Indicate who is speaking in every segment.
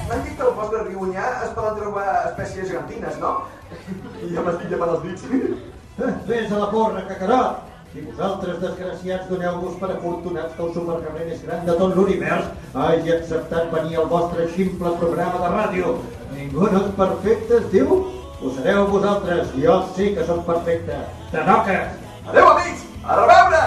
Speaker 1: M'han dit que al vostre riu Onyar es poden trobar espècies gegantines, no? I ja m'estic llamant els dits.
Speaker 2: Vés a la porra, cacarot! Si vosaltres, desgraciats, doneu-vos per afortunats que el supercarrer més gran de tot l'univers hagi acceptat venir al vostre ximple programa de ràdio. Ningú no és perfecte, es diu? Ho sereu vosaltres, jo sí que sóc perfecte. Tanoques!
Speaker 1: Adéu, amics! A reveure!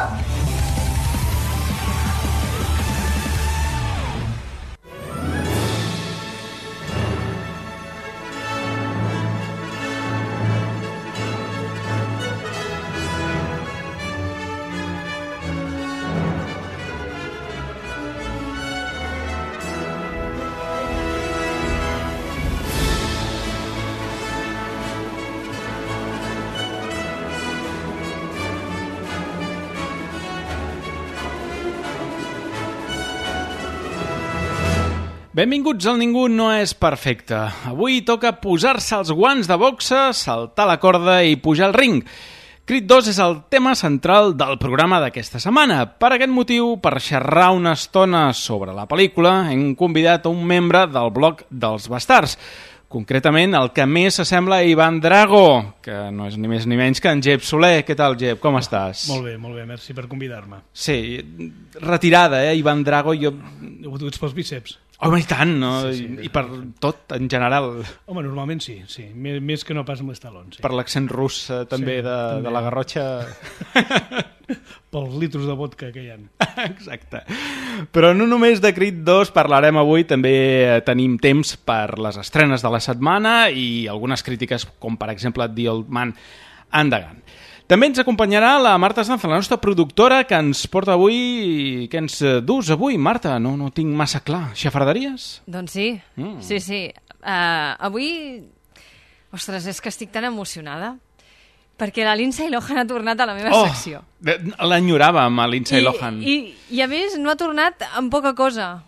Speaker 3: Benvinguts al Ningú no és perfecte. Avui toca posar-se els guants de boxa, saltar la corda i pujar al ring. Creed 2 és el tema central del programa d'aquesta setmana. Per aquest motiu, per xerrar una estona sobre la pel·lícula, hem convidat a un membre del bloc dels Bastards. Concretament, el que més s'assembla a Ivan Drago, que no és ni més ni menys que en Jep Soler. Què tal, Jep? Com estàs?
Speaker 4: Molt bé, merci per convidar-me.
Speaker 3: Sí, retirada, Ivan Drago.
Speaker 4: Ho duts pels bíceps.
Speaker 3: Home, i tant, no?
Speaker 4: Sí,
Speaker 3: I per tot, en general.
Speaker 4: Home, normalment sí. Més que no pas amb les talons. Sí.
Speaker 3: Per l'accent rus, també,
Speaker 4: sí,
Speaker 3: de la Garrotxa.
Speaker 4: Pels litros de vodka que hi ha.
Speaker 3: Exacte. Però no només de Creed 2 parlarem avui, també tenim temps per les estrenes de la setmana i algunes crítiques, com per exemple The Old Man and the Gun. També ens acompanyarà la Marta Sanz, la nostra productora, que ens porta avui... Què ens dus avui, Marta? No tinc massa clar. Xafarderies?
Speaker 5: Doncs sí, sí. Avui... Ostres, és que estic tan emocionada perquè la Lindsay Lohan ha tornat a la meva secció.
Speaker 3: L'enyoràvem, a Lindsay Lohan.
Speaker 5: I a més no ha tornat amb poca cosa.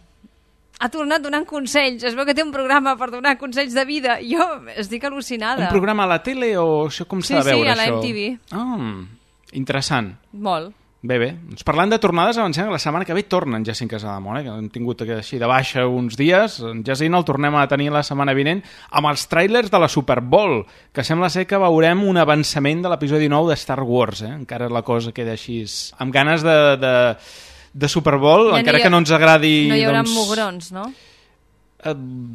Speaker 5: Ha tornat donant consells. Es veu que té un programa per donar consells de vida. Jo estic al·lucinada.
Speaker 3: Un programa a la tele o això com s'ha de veure,
Speaker 5: això? Sí, a la
Speaker 3: MTV. Interessant.
Speaker 5: Molt.
Speaker 3: Bé. Doncs parlant de tornades, avancem que la setmana que ve torna en Jacint Casademont, que hem tingut així de baixa uns dies. En Jacint el tornem a tenir la setmana vinent amb els tràilers de la Super Bowl, que sembla ser que veurem un avançament de l'episodi 9 de Star Wars. Encara la cosa queda així amb ganes de Super Bowl, ja encara que no ens agradi...
Speaker 5: No hi haurà mugrons, no?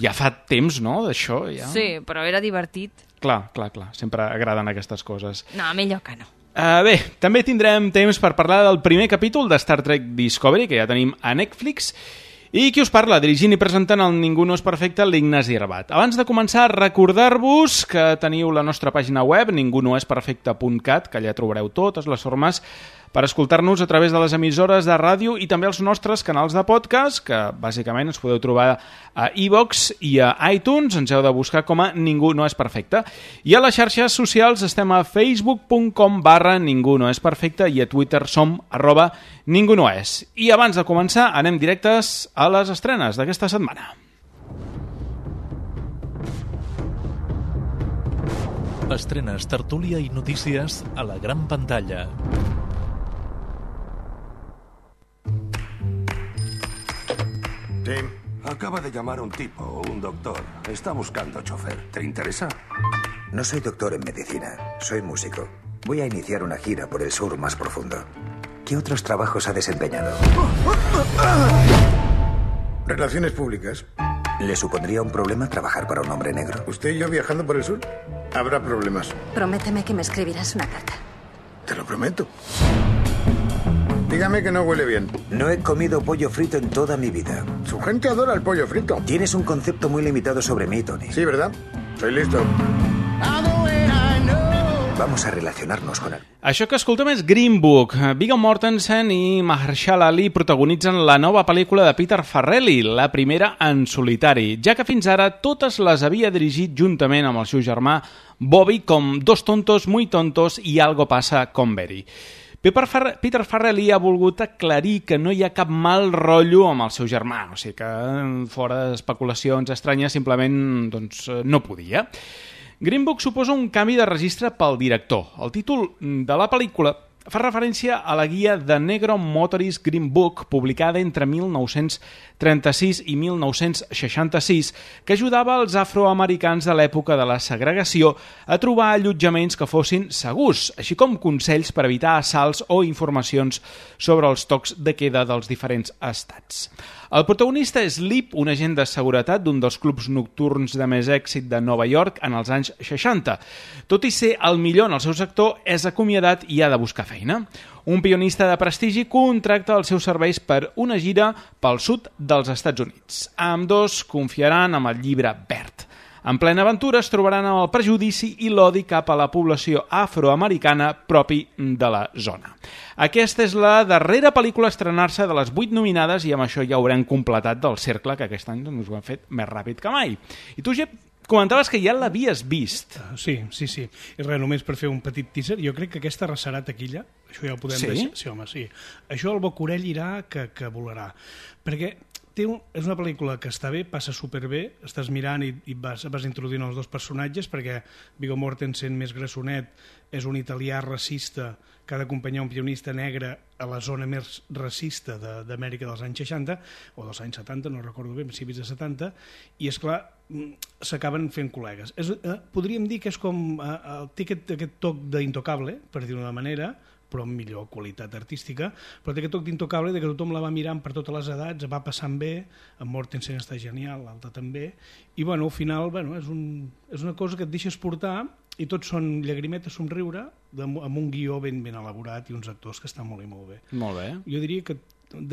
Speaker 3: Ja fa temps, no?, d'això. Ja.
Speaker 5: Sí, però era divertit.
Speaker 3: Clar. Sempre agraden aquestes coses.
Speaker 5: No, millor que no.
Speaker 3: Bé, també tindrem temps per parlar del primer capítol de Star Trek Discovery, que ja tenim a Netflix, i qui us parla, dirigint i presentant el Ningú no és perfecte, l'Ignasi Rabat. Abans de començar, recordar-vos que teniu la nostra pàgina web, ningunoesperfecte.cat, que allà trobareu totes les formes per escoltar-nos a través de les emissores de ràdio i també els nostres canals de podcast, que bàsicament ens podeu trobar a iVoox i a iTunes, ens heu de buscar com a Ningú no és perfecte. I a les xarxes socials estem a facebook.com/Ningú no és perfecte i a Twitter som @ningunoes. I abans de començar anem directes a les estrenes d'aquesta setmana.
Speaker 6: Estrenes, tertúlia i notícies a la gran pantalla.
Speaker 7: Tim, acaba de llamar un tipo, un doctor. Está buscando chofer. ¿Te interesa?
Speaker 8: No soy doctor en medicina, soy músico. Voy a iniciar una gira por el sur más profundo. ¿Qué otros trabajos ha desempeñado?
Speaker 9: Relaciones públicas.
Speaker 8: ¿Le supondría un problema trabajar para un hombre negro?
Speaker 9: ¿Usted y yo viajando por el sur? Habrá problemas.
Speaker 10: Prométeme que me escribirás una carta.
Speaker 9: Te lo prometo. Dígame que no huele bien.
Speaker 8: No he comido pollo frito en toda mi vida.
Speaker 9: Su gente adora el pollo frito.
Speaker 8: Tienes un concepto muy limitado sobre mí, Tony.
Speaker 9: Sí, ¿verdad? Soy listo.
Speaker 8: Vamos a relacionarnos con él.
Speaker 3: Això que escoltem és Green Book. Viggo Mortensen i Mahershala Ali protagonitzen la nova pel·lícula de Peter Farrelly, la primera en solitari, ja que fins ara totes les havia dirigit juntament amb el seu germà Bobby, com Dos tontos, muy tontos i Algo pasa con Betty. Peter Farrelly ha volgut aclarir que no hi ha cap mal rotllo amb el seu germà, o sigui que fora d'especulacions estranyes simplement no podia. Green Book suposa un canvi de registre pel director. El títol de la pel·lícula fa referència a la guia The Negro Motorist Green Book, publicada entre 1936 i 1966, que ajudava els afroamericans de l'època de la segregació a trobar allotjaments que fossin segurs, així com consells per evitar assalts o informacions sobre els tocs de queda dels diferents estats. El protagonista és Lip, un agent de seguretat d'un dels clubs nocturns de més èxit de Nova York en els anys 60. Tot i ser el millor en el seu sector, és acomiadat i ha de buscar feina. Un pionista de prestigi contracta els seus serveis per una gira pel sud dels Estats Units. Ambdós confiaran amb el llibre verd. En plena aventura es trobaran amb el prejudici i l'odi cap a la població afroamericana propi de la zona. Aquesta és la darrera pel·lícula a estrenar-se de les 8 nominades i amb això ja haurem completat del cercle que aquest any doncs, ho han fet més ràpid que mai. I tu, Jep, comentaves que ja l'havies vist.
Speaker 4: Sí. I res, només per fer un petit teaser, jo crec que aquesta arrasarà taquilla, això ja ho podem deixar. Sí, home, sí. Això el Bocorell irà que volarà. Perquè és una pel·lícula que està bé, passa superbé, estàs mirant i vas introduint els dos personatges, perquè Viggo Mortensen, més grassonet, és un italià racista que ha d'acompanyar un pianista negre a la zona més racista d'Amèrica dels anys 60, o dels anys 70, no recordo bé, principis de 70, i és clar, s'acaben fent col·legues. Podríem dir que és com té aquest toc d'Intocable, per dir-ho d'una manera, però amb millor qualitat artística, però té aquest toc d'Intocable de que tothom la va mirant per totes les edats, va passant bé, en Mortensen està genial, l'altre també, i al final és una cosa que et deixes portar i tots són llagrimetes, somriure, amb un guió ben elaborat i uns actors que estan molt i molt bé.
Speaker 3: Molt bé.
Speaker 4: Jo diria que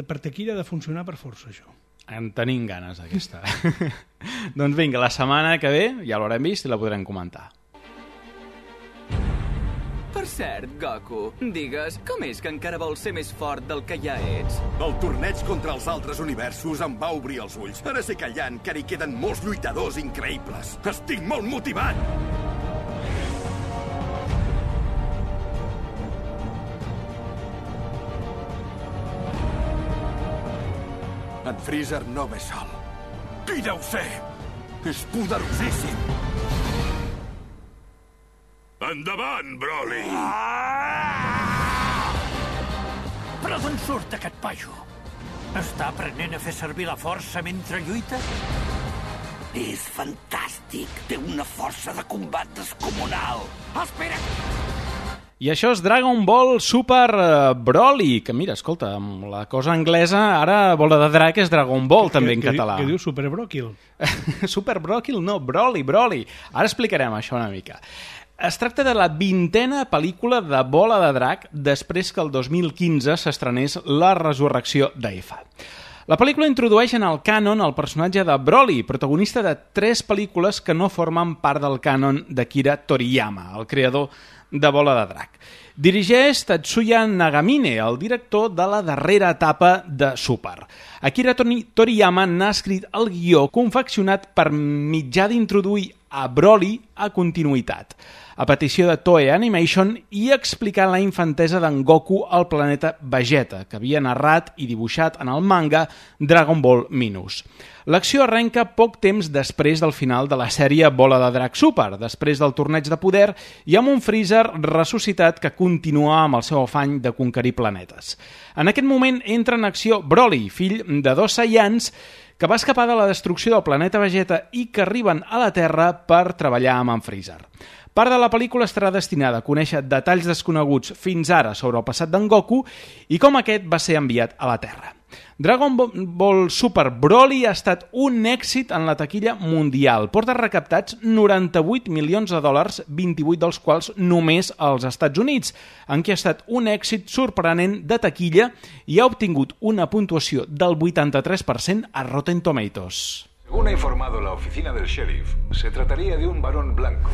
Speaker 4: per taquilla ha de funcionar per força, això.
Speaker 3: En tenim ganes, aquesta. Doncs vinga, la setmana que ve ja l'haurem vist i la podrem comentar.
Speaker 11: Per cert, Goku, digues, com és que encara vols ser més fort del que ja ets?
Speaker 7: El torneig contra els altres universos em va obrir els ulls. Ara sé que allà encara hi queden molts lluitadors increïbles. Estic molt motivat! En Freezer no ve sol. Qui deu ser? És poderosíssim! Endavant, Broly!
Speaker 12: Però d'on surt aquest paio? Està aprenent a fer servir la força mentre lluita?
Speaker 13: És fantàstic! Té una força de combat descomunal! Espera!
Speaker 3: I això és Dragon Ball Super Broly, que mira, escolta, amb la cosa anglesa, ara bola de drac és Dragon Ball, també en català.
Speaker 4: Què diu Super Broquil?
Speaker 3: Super Broquil, no, Broly. Ara explicarem això una mica. Es tracta de la 20a pel·lícula de Bola de Drac després que el 2015 s'estrenés La resurrecció d'Efa. La pel·lícula introdueix en el cànon el personatge de Broly, protagonista de 3 pel·lícules que no formen part del cànon d'Akira Toriyama, el creador de Bola de Drac. Dirigeix Tatsuya Nagamine, el director de la darrera etapa de Super. Akira Toriyama n'ha escrit el guió confeccionat per mitjà d'introduir a Broly a continuïtat, a petició de Toei Animation i explicant la infantesa d'en Goku al planeta Vegeta, que havia narrat i dibuixat en el manga Dragon Ball Minus. L'acció arrenca poc temps després del final de la sèrie Bola de Drac Super, després del torneig de poder i amb un Freezer ressuscitat que continua amb el seu afany de conquerir planetes. En aquest moment entra en acció Broly, fill de 2 Saiyans, que va escapar de la destrucció del planeta Vegeta i que arriben a la Terra per treballar amb en Freezer. Part de la pel·lícula estarà destinada a conèixer detalls desconeguts fins ara sobre el passat d'en Goku i com aquest va ser enviat a la Terra. Dragon Ball Super Broly ha estat un èxit en la taquilla mundial. Porta recaptats 98 milions de dòlars, 28 dels quals només als Estats Units, en què ha estat un èxit sorprenent de taquilla i ha obtingut una puntuació del 83% a Rotten Tomatoes.
Speaker 14: Según ha informado la oficina del sheriff, se trataría de un varón blanco.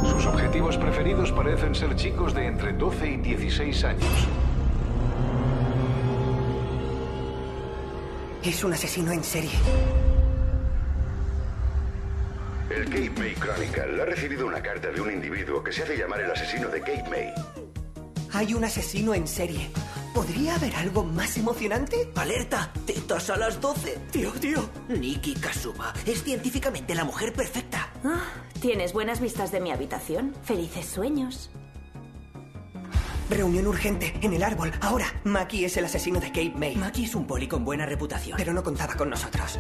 Speaker 14: Sus objetivos preferidos parecen ser chicos de entre 12 y 16 años.
Speaker 13: Es un asesino en serie.
Speaker 15: El Cape May Chronicle ha recibido una carta de un individuo que se hace llamar el asesino de Cape May.
Speaker 13: Hay un asesino en serie. ¿Podría haber algo más emocionante? ¡Alerta! ¡Tetas a las 12! ¡Tío! Nikki Kazuma es científicamente la mujer perfecta.
Speaker 16: ¿Tienes buenas vistas de mi habitación? Felices sueños.
Speaker 13: Reunión urgente, en el árbol, ahora. Mackie es el asesino de Cape May. Mackie es un poli con buena reputación. Pero no contaba con nosotros.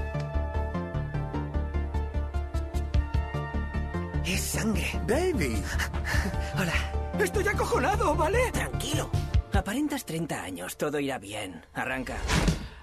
Speaker 13: Es sangre.
Speaker 12: Davey.
Speaker 13: Hola.
Speaker 12: Estoy acojonado, ¿vale?
Speaker 13: Tranquilo. Aparentas 30 años, todo irá bien. Arranca.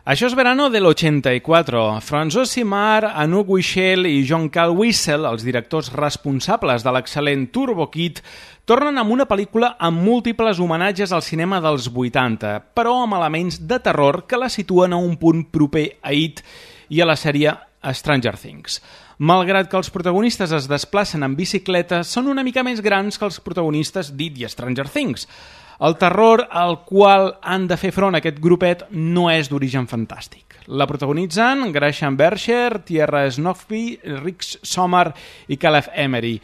Speaker 3: Això és Verano del 84. François Simard, Anouk Wichel i Jean-Cal Wissel, els directors responsables de l'excel·lent Turbo Kid, tornen amb una pel·lícula amb múltiples homenatges al cinema dels 80, però amb elements de terror que la situen a un punt proper a It i a la sèrie Stranger Things. Malgrat que els protagonistes es desplacen en bicicleta, són una mica més grans que els protagonistes d'It i Stranger Things. El terror al qual han de fer front aquest grupet no és d'origen fantàstic. La protagonitzen Gresham Bercher, Tierra Snofby, Rick Sommer i Caleb Emery.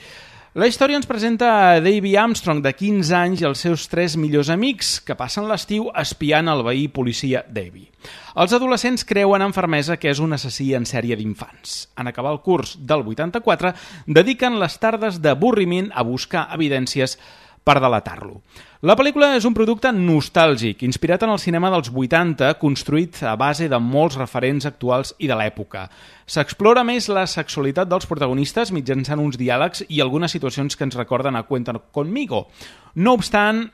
Speaker 3: La història ens presenta a Davy Armstrong, de 15 anys, i els seus 3 millors amics, que passen l'estiu espiant el veí policia Davy. Els adolescents creuen amb fermesa que és un assassí en sèrie d'infants. En acabar el curs del 84, dediquen les tardes d'avorriment a buscar evidències per delatar-lo. La pel·lícula és un producte nostàlgic, inspirat en el cinema dels 80, construït a base de molts referents actuals i de l'època. S'explora més la sexualitat dels protagonistes mitjançant uns diàlegs i algunes situacions que ens recorden a Cuenta conmigo. No obstant,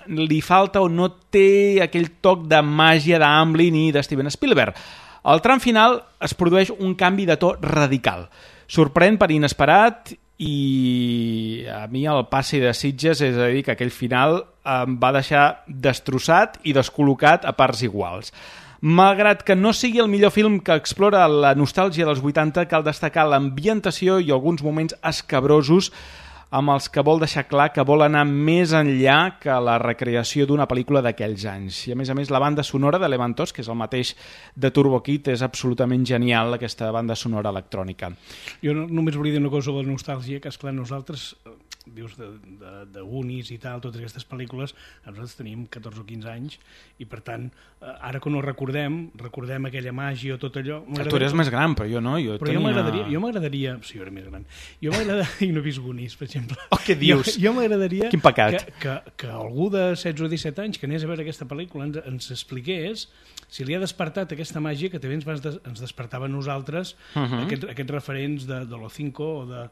Speaker 3: li falta o no té aquell toc de màgia d'Amblin i de Steven Spielberg. Al tram final es produeix un canvi de to radical. Sorprèn per inesperat i a mi el passi de Sitges, és a dir, que aquell final em va deixar destrossat i descol·locat a parts iguals. Malgrat que no sigui el millor film que explora la nostàlgia dels 80, cal destacar l'ambientació i alguns moments escabrosos amb els que vol deixar clar que vol anar més enllà que la recreació d'una pel·lícula d'aquells anys. I a més, la banda sonora de Levantos, que és el mateix de Turbo Kid, és absolutament genial, aquesta banda sonora electrònica.
Speaker 4: Jo només volia dir una cosa sobre la nostàlgia, que esclar, nosaltres, dius, de Goonies i tal, totes aquestes pel·lícules, nosaltres teníem 14 o 15 anys, i per tant, ara que no recordem aquella màgia o tot allò...
Speaker 3: Tu eres més gran, però jo no.
Speaker 4: Jo m'agradaria... Sí, jo era més gran. Jo m'agradaria... I no he vist Goonies, per exemple.
Speaker 3: Oh, què dius?
Speaker 4: Jo m'agradaria...
Speaker 3: Quin pecat.
Speaker 4: Que algú de 16 o 17 anys que anés a veure aquesta pel·lícula ens expliqués si li ha despertat aquesta màgia que també ens despertava a nosaltres, aquests referents de l'O5 o de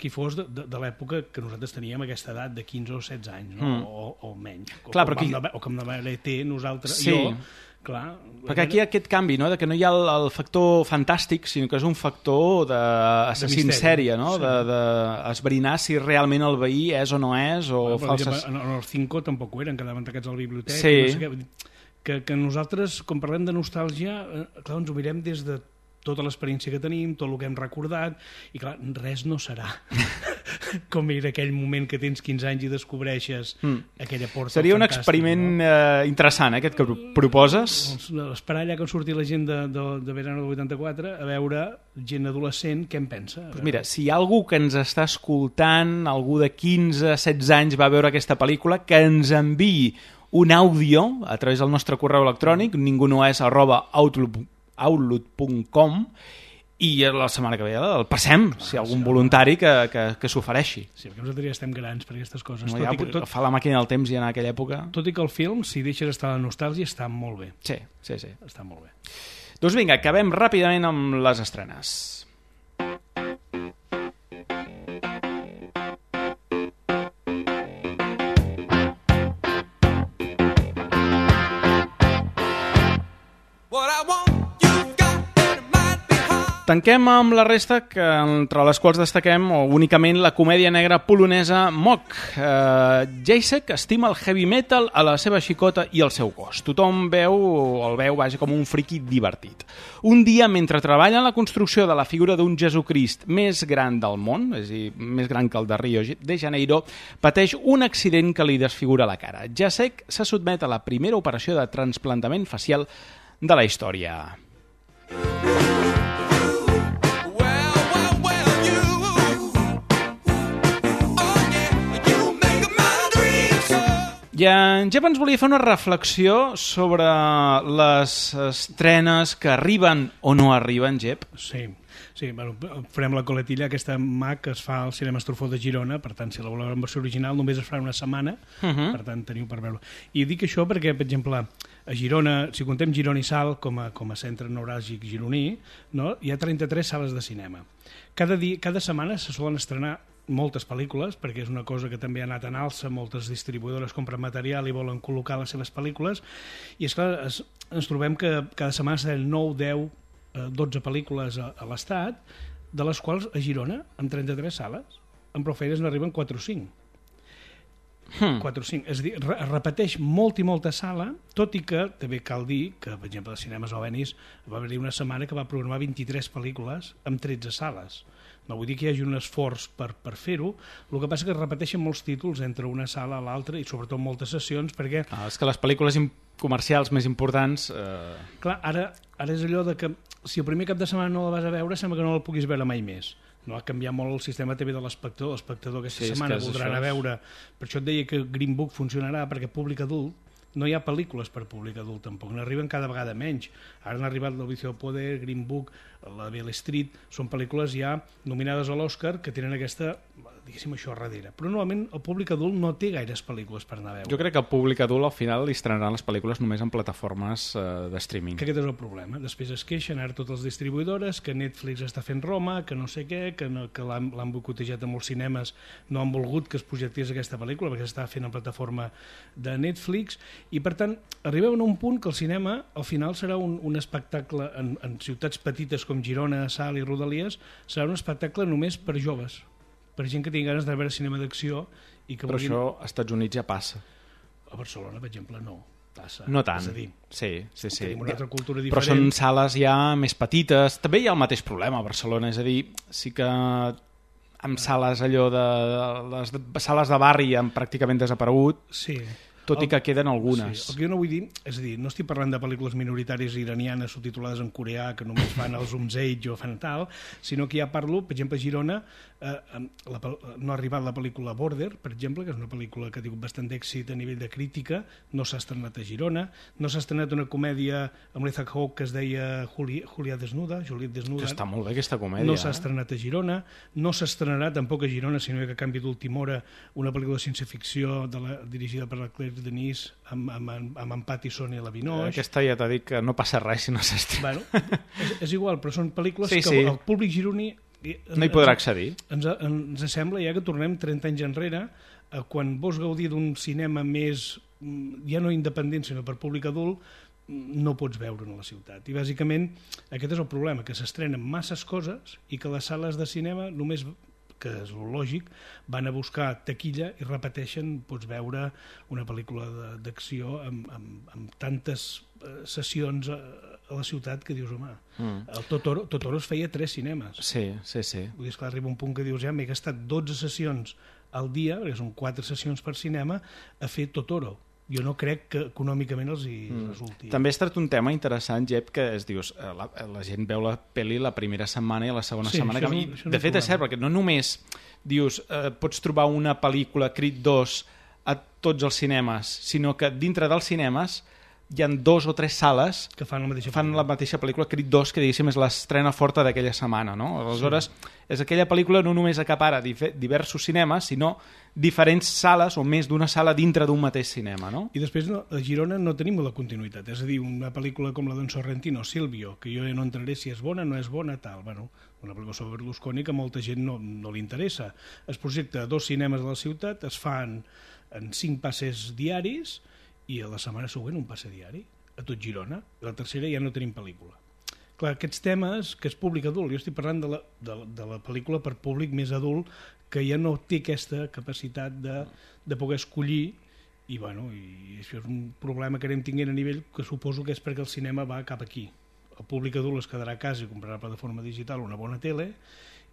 Speaker 4: qui fos de l'època que nosaltres teníem aquesta edat de 15 o 16 anys, no? O menys.
Speaker 3: Clar,
Speaker 4: o com de l'ET nosaltres,
Speaker 3: sí.
Speaker 4: jo... Clar,
Speaker 3: perquè aquí hi ha aquest canvi, no? De que no hi ha el factor fantàstic, sinó que és un factor d'assassí en sèrie, no? Sí. D'esbrinar si realment el veí és o no és, o falses...
Speaker 4: En el 5 tampoc ho eren, quedaven tancats a la biblioteca.
Speaker 3: Sí.
Speaker 4: No sé què. Que nosaltres, quan parlem de nostàlgia, clar, ens ho mirem des de tota l'experiència que tenim, tot el que hem recordat, i clar, res no serà com era aquell moment que tens 15 anys i descobreixes aquella porta.
Speaker 3: Seria un experiment interessant, aquest que proposes.
Speaker 4: Esperar allà que surti la gent de Verano del 84 a veure gent adolescent què en pensa.
Speaker 3: Pues mira, si hi ha algú que ens està escoltant, algú de 15-16 anys va veure aquesta pel·lícula, que ens enviï un àudio a través del nostre correu electrònic, ningunoes@outlook.com, i la setmana que ve el passem, si hi ha algun voluntari que s'ofereixi.
Speaker 4: Sí, perquè nosaltres ja estem grans per aquestes coses.
Speaker 3: No, fa la màquina del temps i en aquella època...
Speaker 4: Tot i que el film, si deixes estar la nostàlgia, està molt bé.
Speaker 3: Sí.
Speaker 4: Està molt bé.
Speaker 3: Doncs vinga, acabem ràpidament amb les estrenes. Tanquem amb la resta, que entre les quals destaquem únicament la comèdia negra polonesa Mock. Jacek estima el heavy metal, a la seva xicota i el seu gos. Tothom el veu com un friqui divertit. Un dia, mentre treballa en la construcció de la figura d'un Jesucrist més gran del món, és a dir, més gran que el de Rio de Janeiro, pateix un accident que li desfigura la cara. Jacek se sotmet a la primera operació de trasplantament facial de la història. I en Jep ens volia fer una reflexió sobre les estrenes que arriben o no arriben, Jep.
Speaker 4: Sí. Sí, bueno, farem la coletilla. Aquesta MAC es fa al Cinema Estrufó de Girona, per tant, si la voleu en versió original només es farà una setmana, per tant, teniu per veure. I dic això perquè, per exemple, a Girona, si contem Girona i Salt com a centre neuràlgic gironí, no? Hi ha 33 sales de cinema. Cada setmana se solen estrenar moltes pel·lícules, perquè és una cosa que també ha anat en alça, moltes distribuïdores compren material i volen col·locar les seves pel·lícules, i esclar, ens trobem que cada setmana s'han 9, 10, 12 pel·lícules a l'Estat, de les quals a Girona, amb 33 sales, amb prou feines n'arriben 4 o 5. 4 o 5. És a dir, es repeteix molt i molta sala, tot i que també cal dir que, per exemple, a Cinemes Obenis va haver-hi una setmana que va programar 23 pel·lícules amb 13 sales. No vull dir que hi hagi un esforç per fer-ho, el que passa és que es repeteixen molts títols entre una sala a l'altra i sobretot moltes sessions, perquè...
Speaker 3: És que les pel·lícules comercials més importants...
Speaker 4: Clar, ara és allò de que si el primer cap de setmana no la vas a veure sembla que no la puguis veure mai més. No ha canviat molt el sistema TV de l'espectador. L'espectador aquesta setmana voldrà anar a veure... Per això et deia que Green Book funcionarà, perquè públic adult no hi ha pel·lícules per públic adult tampoc, n'arriben cada vegada menys. Ara han arribat El Vicio del Poder, Green Book, La Beale Street, són pel·lícules ja nominades a l'Oscar que tenen aquesta, diguéssim, això a darrere. Però normalment el públic adult no té gaires pel·lícules per anar a veure.
Speaker 3: Jo crec que el públic adult al final li estrenaran les pel·lícules només en plataformes de streaming.
Speaker 4: Que aquest és el problema. Després es queixen ara totes les distribuïdores que Netflix està fent Roma, que no sé què, que l'han boicotejat a molts cinemes, no han volgut que es projectés aquesta pel·lícula perquè s'estava fent en plataforma de Netflix. I per tant, arribem a un punt que el cinema al final serà un espectacle en ciutats petites com Girona, Salt i Rodalies, serà un espectacle només per joves, per gent que tingui ganes de veure cinema d'acció.
Speaker 3: Però això als Estats Units ja passa.
Speaker 4: A Barcelona, per exemple, no passa.
Speaker 3: No tant,
Speaker 4: és a dir,
Speaker 3: sí.
Speaker 4: tenim una altra cultura diferent.
Speaker 3: Però són sales ja més petites. També hi ha el mateix problema a Barcelona, és a dir, sí que amb sales allò de les sales de barri han pràcticament desaparegut.
Speaker 4: Sí.
Speaker 3: Tot i que queden algunes.
Speaker 4: Sí, el que jo no vull dir, és a dir, no estic parlant de pel·lícules minoritàries iranianes subtitulades en coreà que només fan els Umzeig o fan tal, sinó que ja parlo, per exemple, a Girona no ha arribat la pel·lícula Border, per exemple, que és una pel·lícula que ha tingut bastant d'èxit a nivell de crítica, no s'ha estrenat a Girona, no s'ha estrenat una comèdia amb l'Ethan Hawke que es deia Juliet Desnuda.
Speaker 3: Que està molt bé aquesta comèdia.
Speaker 4: No s'ha estrenat a Girona, no s'estrenarà tampoc a Girona, sinó que a canvi d'última hora una pel·lícula de ciència-ficció dirigida per la Claire Denis amb en Pattison i la Vinoix.
Speaker 3: Aquesta ja t'ha dit que no passa res si no s'estrena.
Speaker 4: Bueno, és igual, però són pel·lícules que el públic gironí
Speaker 3: no hi podrà accedir.
Speaker 4: Ens sembla ja que tornem 30 anys enrere, quan vols gaudir d'un cinema més, ja no independent, sinó per públic adult, no pots veure a la ciutat. I bàsicament aquest és el problema, que s'estrenen masses coses i que les sales de cinema només, que és el lògic, van a buscar taquilla i repeteixen, pots veure una pel·lícula d'acció amb tantes sessions a la ciutat que dius, home, el Totoro es feia 3 cinemes.
Speaker 3: Sí.
Speaker 4: Vull dir, esclar, arriba un punt que dius, ja m'he gastat 12 sessions al dia, perquè són 4 sessions per cinema, a fer Totoro. Jo no crec que econòmicament els hi resulti.
Speaker 3: També has tret un tema interessant, Jep, que dius, la gent veu la pel·li la primera setmana i la segona setmana. De fet, és cert, perquè no només dius, pots trobar una pel·lícula Creed 2 a tots els cinemes, sinó que dintre dels cinemes hi ha 2 o 3 sales
Speaker 4: que fan
Speaker 3: la mateixa pel·lícula. Creed 2, que diguéssim és l'estrena forta d'aquella setmana, no? Aleshores, és aquella pel·lícula no només acapara diversos cinemes, sinó diferents sales o més d'una sala dintre d'un mateix cinema, no?
Speaker 4: I després a Girona no tenim la continuïtat, és a dir, una pel·lícula com la d'en Sorrentino, Silvio, que jo ja no entraré si és bona, no és bona, tal, bueno, una pel·lícula sobre Berlusconi que a molta gent no li interessa. Es projecta a 2 cinemes de la ciutat, es fan en 5 passes diaris i a la setmana següent un passe diari a tot Girona, i la tercera ja no tenim pel·lícula. Clar, aquests temes, que és públic adult, jo estic parlant de la pel·lícula per públic més adult, que ja no té aquesta capacitat de poder escollir, i això és un problema que anem tinguent a nivell que suposo que és perquè el cinema va cap aquí. El públic adult es quedarà a casa i comprarà per plataforma digital una bona tele,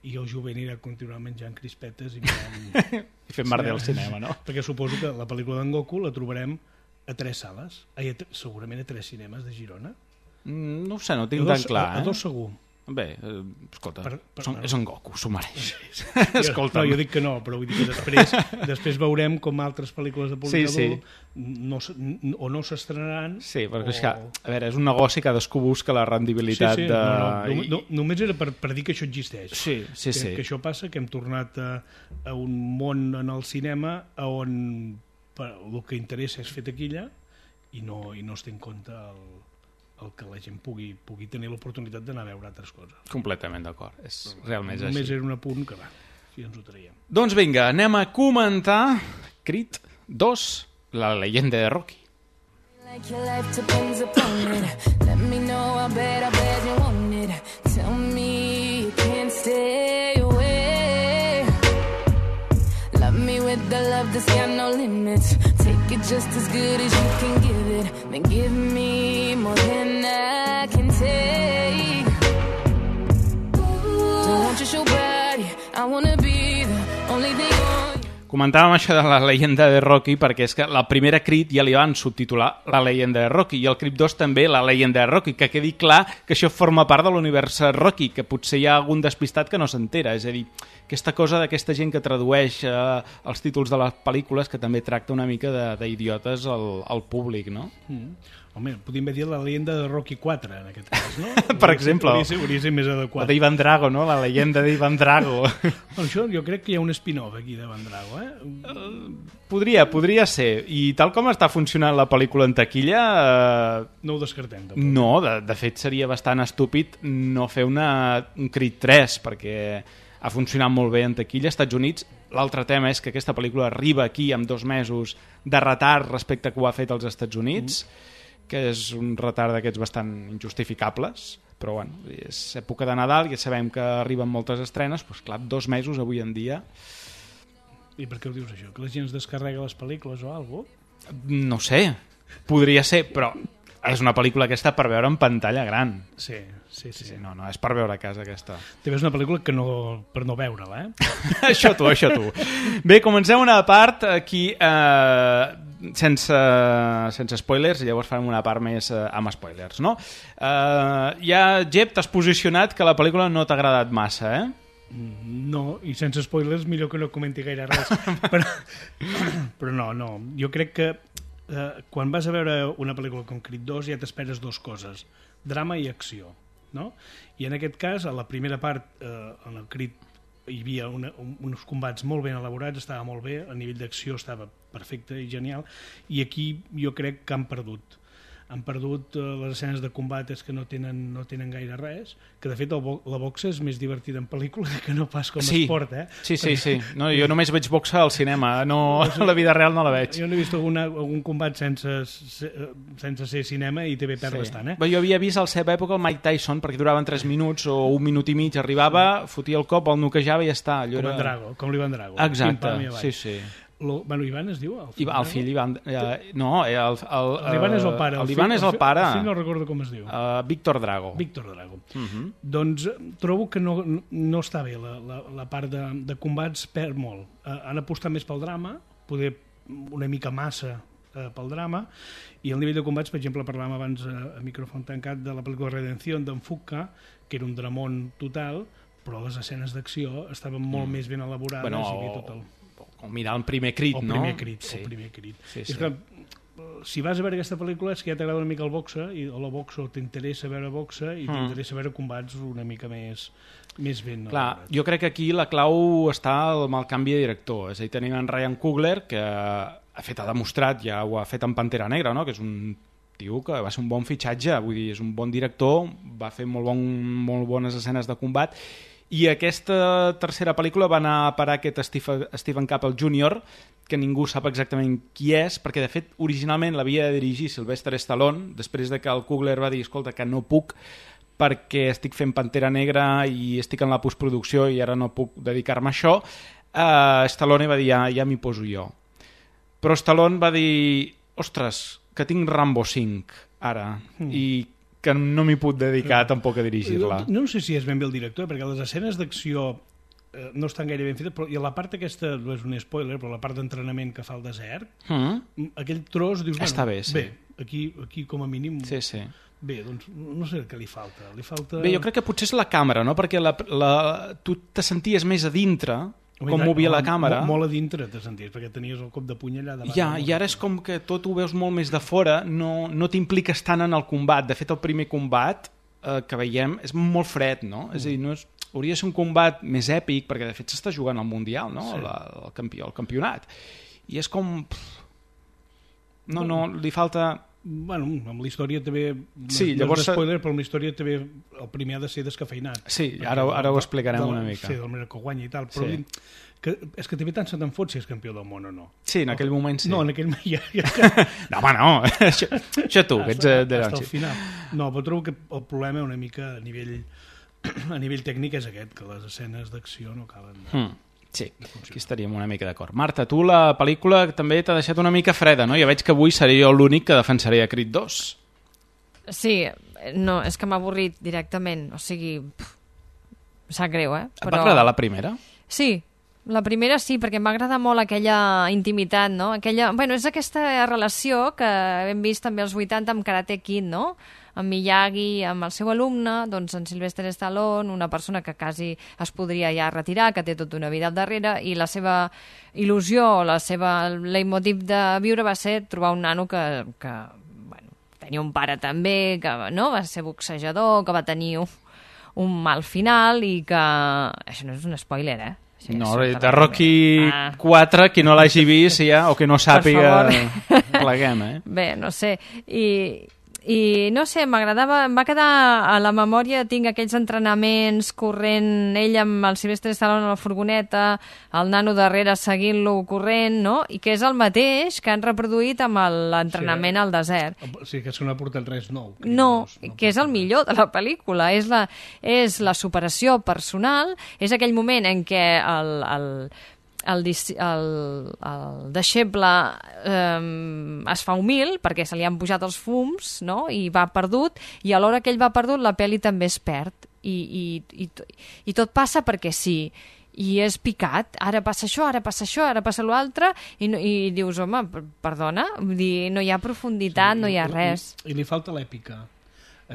Speaker 4: i el jove anirà a continuar menjant crispetes i
Speaker 3: i fent merder al cinema, no?
Speaker 4: Perquè suposo que la pel·lícula d'en Goku la trobarem a 3 sales, segurament a 3 cinemes de Girona.
Speaker 3: No ho sé, no ho tinc tan clar.
Speaker 4: A 2 segur.
Speaker 3: Bé, escolta, és en Goku, s'ho mereix.
Speaker 4: No, jo dic que no, però vull dir que després veurem com altres pel·lícules de públic adult o no s'estrenaran...
Speaker 3: Sí, perquè és que, a veure, és un negoci, cadascú busca la rendibilitat de...
Speaker 4: Només era per dir que això existeix.
Speaker 3: Sí.
Speaker 4: Que això passa, que hem tornat a un món en el cinema on el que interessa és fer taquilla i no es té en compte el que la gent pugui tenir l'oportunitat d'anar a veure altres coses.
Speaker 3: Completament d'acord, realment és així.
Speaker 4: Només era un apunt que va, si ens ho traiem.
Speaker 3: Doncs vinga, anem a comentar Creed 2, la leyenda de Rocky.
Speaker 16: Like your life depends upon it. Let me know, I bet you want it. Tell me you can't stay away. Love me with the love that's got no limits. Take it just as good as you can give it. Then give me more than I can take. Don't want your show body, I wanna be the only thing on.
Speaker 3: Comentàvem això de la leyenda de Rocky perquè és que la primera Creed ja li van subtitular la leyenda de Rocky i el Creed 2 també la leyenda de Rocky, que quedi clar que això forma part de l'univers Rocky, que potser hi ha algun despistat que no s'entera, és a dir, aquesta cosa d'aquesta gent que tradueix els títols de les pel·lícules que també tracta una mica d'idiotes al públic, no?
Speaker 4: Home, podríem dir la leyenda de Rocky 4, en aquest cas, no?
Speaker 3: Per exemple.
Speaker 4: Hauria ser més adequat.
Speaker 3: O d'Ivan Drago, no? La leyenda d'Ivan Drago.
Speaker 4: Això jo crec que hi ha un spin-off aquí d'Ivan Drago,
Speaker 3: Podria ser. I tal com està funcionant la pel·lícula en taquilla...
Speaker 4: No ho descartem, tampoc.
Speaker 3: No, de fet seria bastant estúpid no fer un Creed 3, perquè ha funcionat molt bé en taquilla als Estats Units. L'altre tema és que aquesta pel·lícula arriba aquí amb 2 mesos de retard respecte a que ho ha fet als Estats Units, que és un retard d'aquests bastant injustificables, però bueno, és època de Nadal, ja sabem que arriben moltes estrenes, doncs clar, 2 mesos avui en dia...
Speaker 4: I per què ho dius això? Que la gent es descarrega les pel·lícules o alguna cosa?
Speaker 3: No sé, podria ser, però és una pel·lícula aquesta per veure en pantalla gran.
Speaker 4: Sí.
Speaker 3: No, és per veure a casa aquesta.
Speaker 4: Te ves una pel·lícula que per no veure-la,
Speaker 3: Això tu. Bé, comencem una part aquí sense spoilers, i llavors farem una part més amb spoilers, no? Ja, Jep, t'has posicionat que la pel·lícula no t'ha agradat massa,
Speaker 4: No, i sense spoilers millor que no comenti gaire res. Però no, jo crec que quan vas a veure una pel·lícula com Creed 2 ja t'esperes 2 coses, drama i acció, no? I en aquest cas, a la primera part, en el Creed hi havia uns combats molt ben elaborats, estava molt bé, a nivell d'acció estava perfecte i genial, i aquí jo crec que han perdut les escenes de combat, és que no tenen gaire res, que de fet la boxa és més divertida en pel·lícula que no pas com esport,
Speaker 3: Sí. No, jo només veig boxa al cinema, no, a la vida real no la veig.
Speaker 4: Jo no he vist algun combat sense ser cinema i també perd bastant,
Speaker 3: Jo havia vist a la seva època el Mike Tyson, perquè duraven 3 minuts o 1 minut i mig, arribava, fotia el cop, el noquejava i ja està.
Speaker 4: Com l'Ivan Drago.
Speaker 3: Exacte, sí.
Speaker 4: Ivan es diu?
Speaker 3: El fill Ivan... No,
Speaker 4: l'Ivan és el pare.
Speaker 3: L'Ivan és el pare.
Speaker 4: El fill no recordo com es diu.
Speaker 3: Víctor Drago.
Speaker 4: Doncs trobo que no està bé. La part de combats perd molt. Han apostat més pel drama, poder una mica massa pel drama, i el nivell de combats, per exemple, parlàvem abans a micròfon tancat de la pel·lícula Redención d'en Fuqua, que era un dramón total, però les escenes d'acció estaven molt més ben elaborades.
Speaker 3: O mirar el primer Creed, no?
Speaker 4: El primer Creed. És que si vas a veure aquesta pel·lícula és que ja t'agrada una mica el boxa, o la boxa, o t'interessa veure boxa, i t'interessa veure combats una mica més ben.
Speaker 3: Clar, jo crec que aquí la clau està amb el canvi de director. És a dir, tenim en Ryan Coogler, que ha demostrat, ja ho ha fet en Pantera Negra, no? Que és un tio que va ser un bon fitxatge, vull dir, és un bon director, va fer molt bones escenes de combat, i aquesta tercera pel·lícula va anar a parar aquest Stephen Caple Jr., que ningú sap exactament qui és, perquè de fet originalment l'havia de dirigir Sylvester Stallone, després de que el Coogler va dir, escolta, que no puc perquè estic fent Pantera Negra i estic en la postproducció i ara no puc dedicar-me a això, Stallone va dir, ja m'hi poso jo. Però Stallone va dir, ostres, que tinc Rambo 5 ara, i que no m'hi puc dedicar tampoc a dirigir-la.
Speaker 4: No sé si és ben bé el director, perquè les escenes d'acció no estan gaire ben fetes, però i la part aquesta, no és un spoiler, però la part d'entrenament que fa al desert, aquell tros, dius,
Speaker 3: està bé, sí.
Speaker 4: Bé, aquí com a mínim...
Speaker 3: Sí.
Speaker 4: Bé, doncs no sé què li falta.
Speaker 3: Bé, jo crec que potser és la càmera, no? Perquè tu te senties més a dintre, com movia la càmera.
Speaker 4: Molt a dintre te senties, perquè tenies el cop de puny allà davant.
Speaker 3: Ja, i ara és com que tot ho veus molt més de fora, no t'impliques tant en el combat. De fet, el primer combat que veiem és molt fred, no? És a dir, hauria de ser un combat més èpic, perquè de fet s'està jugant al Mundial, no? Sí. El campionat. I és com... No, li falta...
Speaker 4: Bueno, amb la història també...
Speaker 3: Sí, llavors...
Speaker 4: No és spoiler, però amb la història també el primer ha de ser descafeinat.
Speaker 3: Sí, ara ho explicarem una mica.
Speaker 4: Sí, del manera que guanya i tal, però és que també tant se te'n fot si és campió del món o no.
Speaker 3: Sí, en aquell moment sí.
Speaker 4: No, en aquell moment ja...
Speaker 3: No, home, no. Això tu, que ets de
Speaker 4: hasta el final. No, però trobo que el problema una mica a nivell tècnic és aquest, que les escenes d'acció no acaben...
Speaker 3: Sí, aquí estaríem una mica d'acord. Marta, tu la pel·lícula també t'ha deixat una mica freda, no? Ja veig que avui seré jo l'únic que defensaré a Creed 2.
Speaker 5: Sí, no, és que m'ha avorrit directament, o sigui... Sap greu, eh?
Speaker 3: Et va agradar la primera?
Speaker 5: Sí, la primera sí, perquè em va agradar molt aquella intimitat, no? Bueno, és aquesta relació que hem vist també als 80 amb Karate Kid, no? Amb Miyagi, amb el seu alumne, doncs en Sylvester Stallone, una persona que quasi es podria ja retirar, que té tota una vida al darrere, i la seva il·lusió, la seva leitmotiv de viure va ser trobar un nano que bueno, tenia un pare també, que no, va ser boxejador, que va tenir un mal final i que... Això no és un spoiler, eh?
Speaker 3: No, de Rocky 4, qui no l'hagi vist ja, o que no sàpiga, pleguem, eh?
Speaker 5: Bé, no sé, i no sé, m'agradava, em va quedar a la memòria, tinc aquells entrenaments corrent, ell amb el Sylvester Stallone a la furgoneta, el nano darrere seguint-lo corrent, no? I que és el mateix que han reproduït amb l'entrenament al desert.
Speaker 4: Sí, que no ha portat res nou.
Speaker 5: No, que és el millor de la pel·lícula, és la superació personal, és aquell moment en què el deixeble es fa humil perquè se li han pujat els fums, no? I va perdut, i a l'hora que ell va perdut la pel·li també es perd i tot passa perquè sí, i és picat, ara passa això, ara passa l'altre, i dius, home, perdona, no hi ha profunditat, no hi ha res.
Speaker 4: I li falta l'èpica.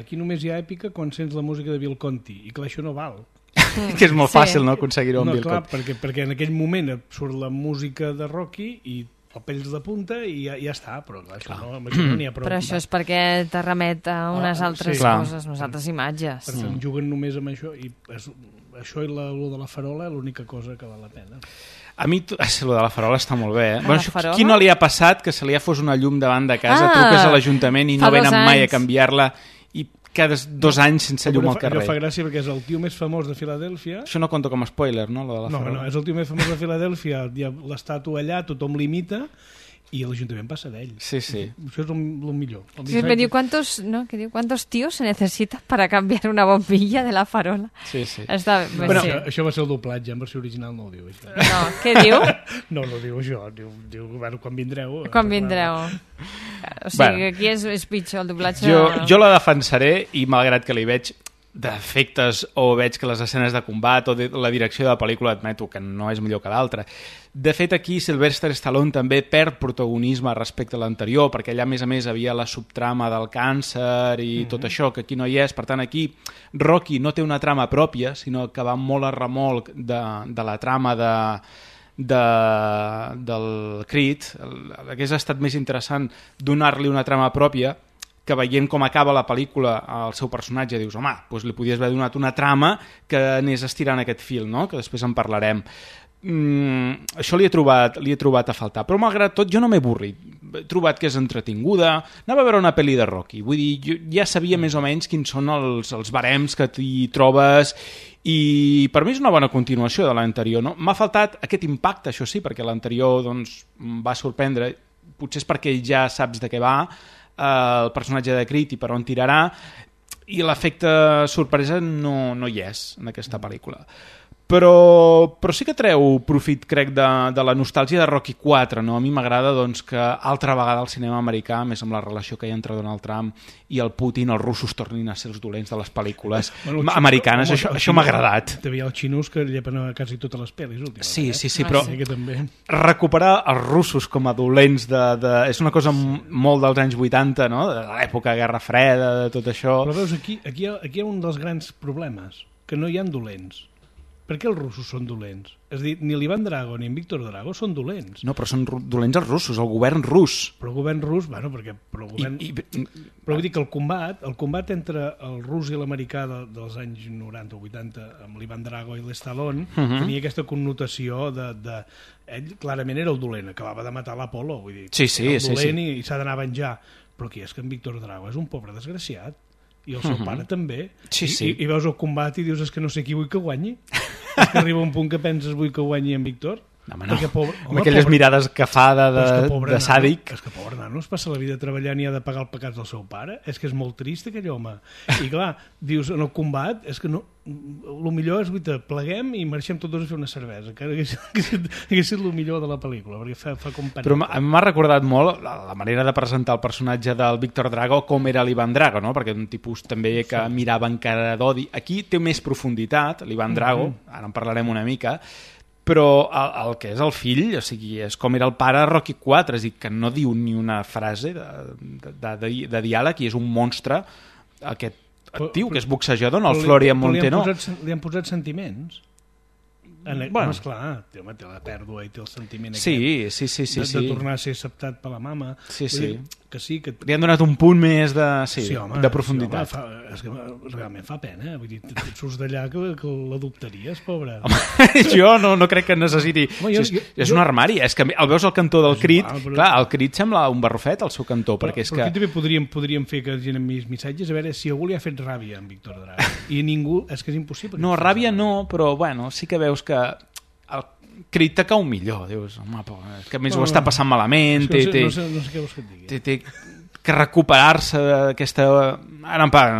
Speaker 4: Aquí només hi ha èpica quan sents la música de Bill Conti, i clar, això no val.
Speaker 3: Que és molt fàcil, no?, aconseguir-ho amb Bill Conti.
Speaker 4: Clar, perquè en aquell moment surt la música de Rocky i el pells de punta i ja està, però clar, això no n'hi ha prou.
Speaker 5: Però això és perquè te remet a unes altres coses, unes altres imatges.
Speaker 4: Per tant, juguen només amb això i això i lo de la farola és l'única cosa que val la pena.
Speaker 3: A mi, lo de la farola està molt bé, eh? Bueno, qui no li ha passat que se li ha fos una llum davant de casa, truques a l'Ajuntament i no venen mai a canviar-la i cada 2 anys sense llum al carrer.
Speaker 4: Això fa gràcia perquè és el tio més famós de Filadèlfia.
Speaker 3: Això no conta com a spoiler, no? Lo de la farola.
Speaker 4: No, és el tio més famós de Filadèlfia, hi ha l'estàtua allà, tothom l'imita i l'Ajuntament passa d'ell.
Speaker 3: Sí.
Speaker 4: Això és el millor.
Speaker 5: Sí, me diu, ¿cuántos tíos se necesitan para cambiar una bombilla de la farola?
Speaker 3: Sí.
Speaker 5: Està,
Speaker 4: bueno, això va ser el doblatge, en versió original no ho diu, això.
Speaker 5: No, què diu?
Speaker 4: No diu això, diu bueno, quan vindreu.
Speaker 5: Quan vindreu. O sigui, aquí és pitjor el doblatge.
Speaker 3: Jo la defensaré i malgrat que li veig defectes o veig que les escenes de combat o la direcció de la pel·lícula admeto que no és millor que l'altra. De fet, aquí Sylvester Stallone també perd protagonisme respecte a l'anterior, perquè allà, a més, havia la subtrama del càncer i tot això, que aquí no hi és. Per tant, aquí Rocky no té una trama pròpia, sinó que va molt a remolc de la trama del Creed. Hauria estat més interessant donar-li una trama pròpia, que veient com acaba la pel·lícula al seu personatge dius, home, doncs li podies haver donat una trama que anés estirant aquest fil, no? Que després en parlarem. Això li he trobat a faltar, però malgrat tot jo no m'he avorrit. He trobat que és entretinguda. Anava a veure una pel·li de Rocky, vull dir, jo ja sabia més o menys quins són els barems que t'hi trobes i per mi és una bona continuació de l'anterior, no? M'ha faltat aquest impacte, això sí, perquè l'anterior doncs, em va sorprendre, potser és perquè ja saps de què va el personatge de Creed i per on tirarà, i l'efecte sorpresa no hi és en aquesta pel·lícula. Però sí que treu profit, crec, de la nostàlgia de Rocky 4, no? A mi m'agrada doncs, que altra vegada el cinema americà, més amb la relació que hi ha entre Donald Trump i el Putin, els russos tornin a ser els dolents de les pel·lícules americanes. Això m'ha agradat.
Speaker 4: També hi ha els xinos que llepen a quasi totes les pel·lis últimament.
Speaker 3: Sí, però recuperar els russos com a dolents és una cosa molt dels anys 80, no? De l'època de Guerra Freda, de tot això.
Speaker 4: Però veus, aquí hi ha un dels grans problemes, que no hi ha dolents. Per què els russos són dolents? És a dir, ni l'Ivan Drago ni en Víctor Drago són dolents.
Speaker 3: No, però són dolents els russos, el govern rus.
Speaker 4: Però el govern rus, bueno, perquè... Però vull dir que el combat entre el rus i l'americà dels anys 90 o 80, amb l'Ivan Drago i l'Stallone, tenia aquesta connotació de... Ell clarament era el dolent, acabava de matar l'Apolo, vull dir,
Speaker 3: el
Speaker 4: dolent i s'ha d'anar a venjar. Però aquí és que en Víctor Drago és un pobre desgraciat. I el seu pare també. I veus el combat i dius, és que no sé qui vull que guanyi. És que arriba un punt que penses vull que guanyi en Víctor.
Speaker 3: No, amb aquelles mirades que fa de sàdic.
Speaker 4: És que pobre nano es passa la vida treballant i ha de pagar els pecats del seu pare. És que és molt trist aquell home. I clar, dius, en el combat és que no... El millor és, pleguem i marxem tots dos a fer una cervesa, que hagués estat el millor de la pel·lícula, perquè fa companyia.
Speaker 3: Però m'ha recordat molt la manera de presentar el personatge del Víctor Drago com era l'Ivan Drago, no? Perquè un tipus també que mirava encara d'odi. Aquí té més profunditat, l'Ivan Drago, ara en parlarem una mica, però el que és el fill, o sigui, és com era el pare de Rocky 4, és a dir, que no diu ni una frase de diàleg i és un monstre, aquest tio, que és boxejador, no? El Florian Montenot.
Speaker 4: Li han posat sentiments? Bueno, esclar, té la pèrdua i té el sentiment aquest de tornar a ser acceptat per la mama. Que sí, que...
Speaker 3: Li han donat un punt més de profunditat.
Speaker 4: Sí, home, és que realment fa pena. Vull dir, surts d'allà que l'adoptaries, pobre.
Speaker 3: Jo no crec que necessiti... És un armari, és que el veus al cantó del Creed, clar, el Creed sembla un barrufet al seu cantó, perquè és que...
Speaker 4: Però aquí també podríem fer que gent amb missatges, a veure si algú li ha fet ràbia en Víctor Drago. I ningú... És que és impossible.
Speaker 3: No, ràbia no, però bueno, sí que veus que el Creed te cau millor, dius, home, que a més ho està passant malament,
Speaker 4: no sé què vols que et digui.
Speaker 3: Té que recuperar-se d'aquesta...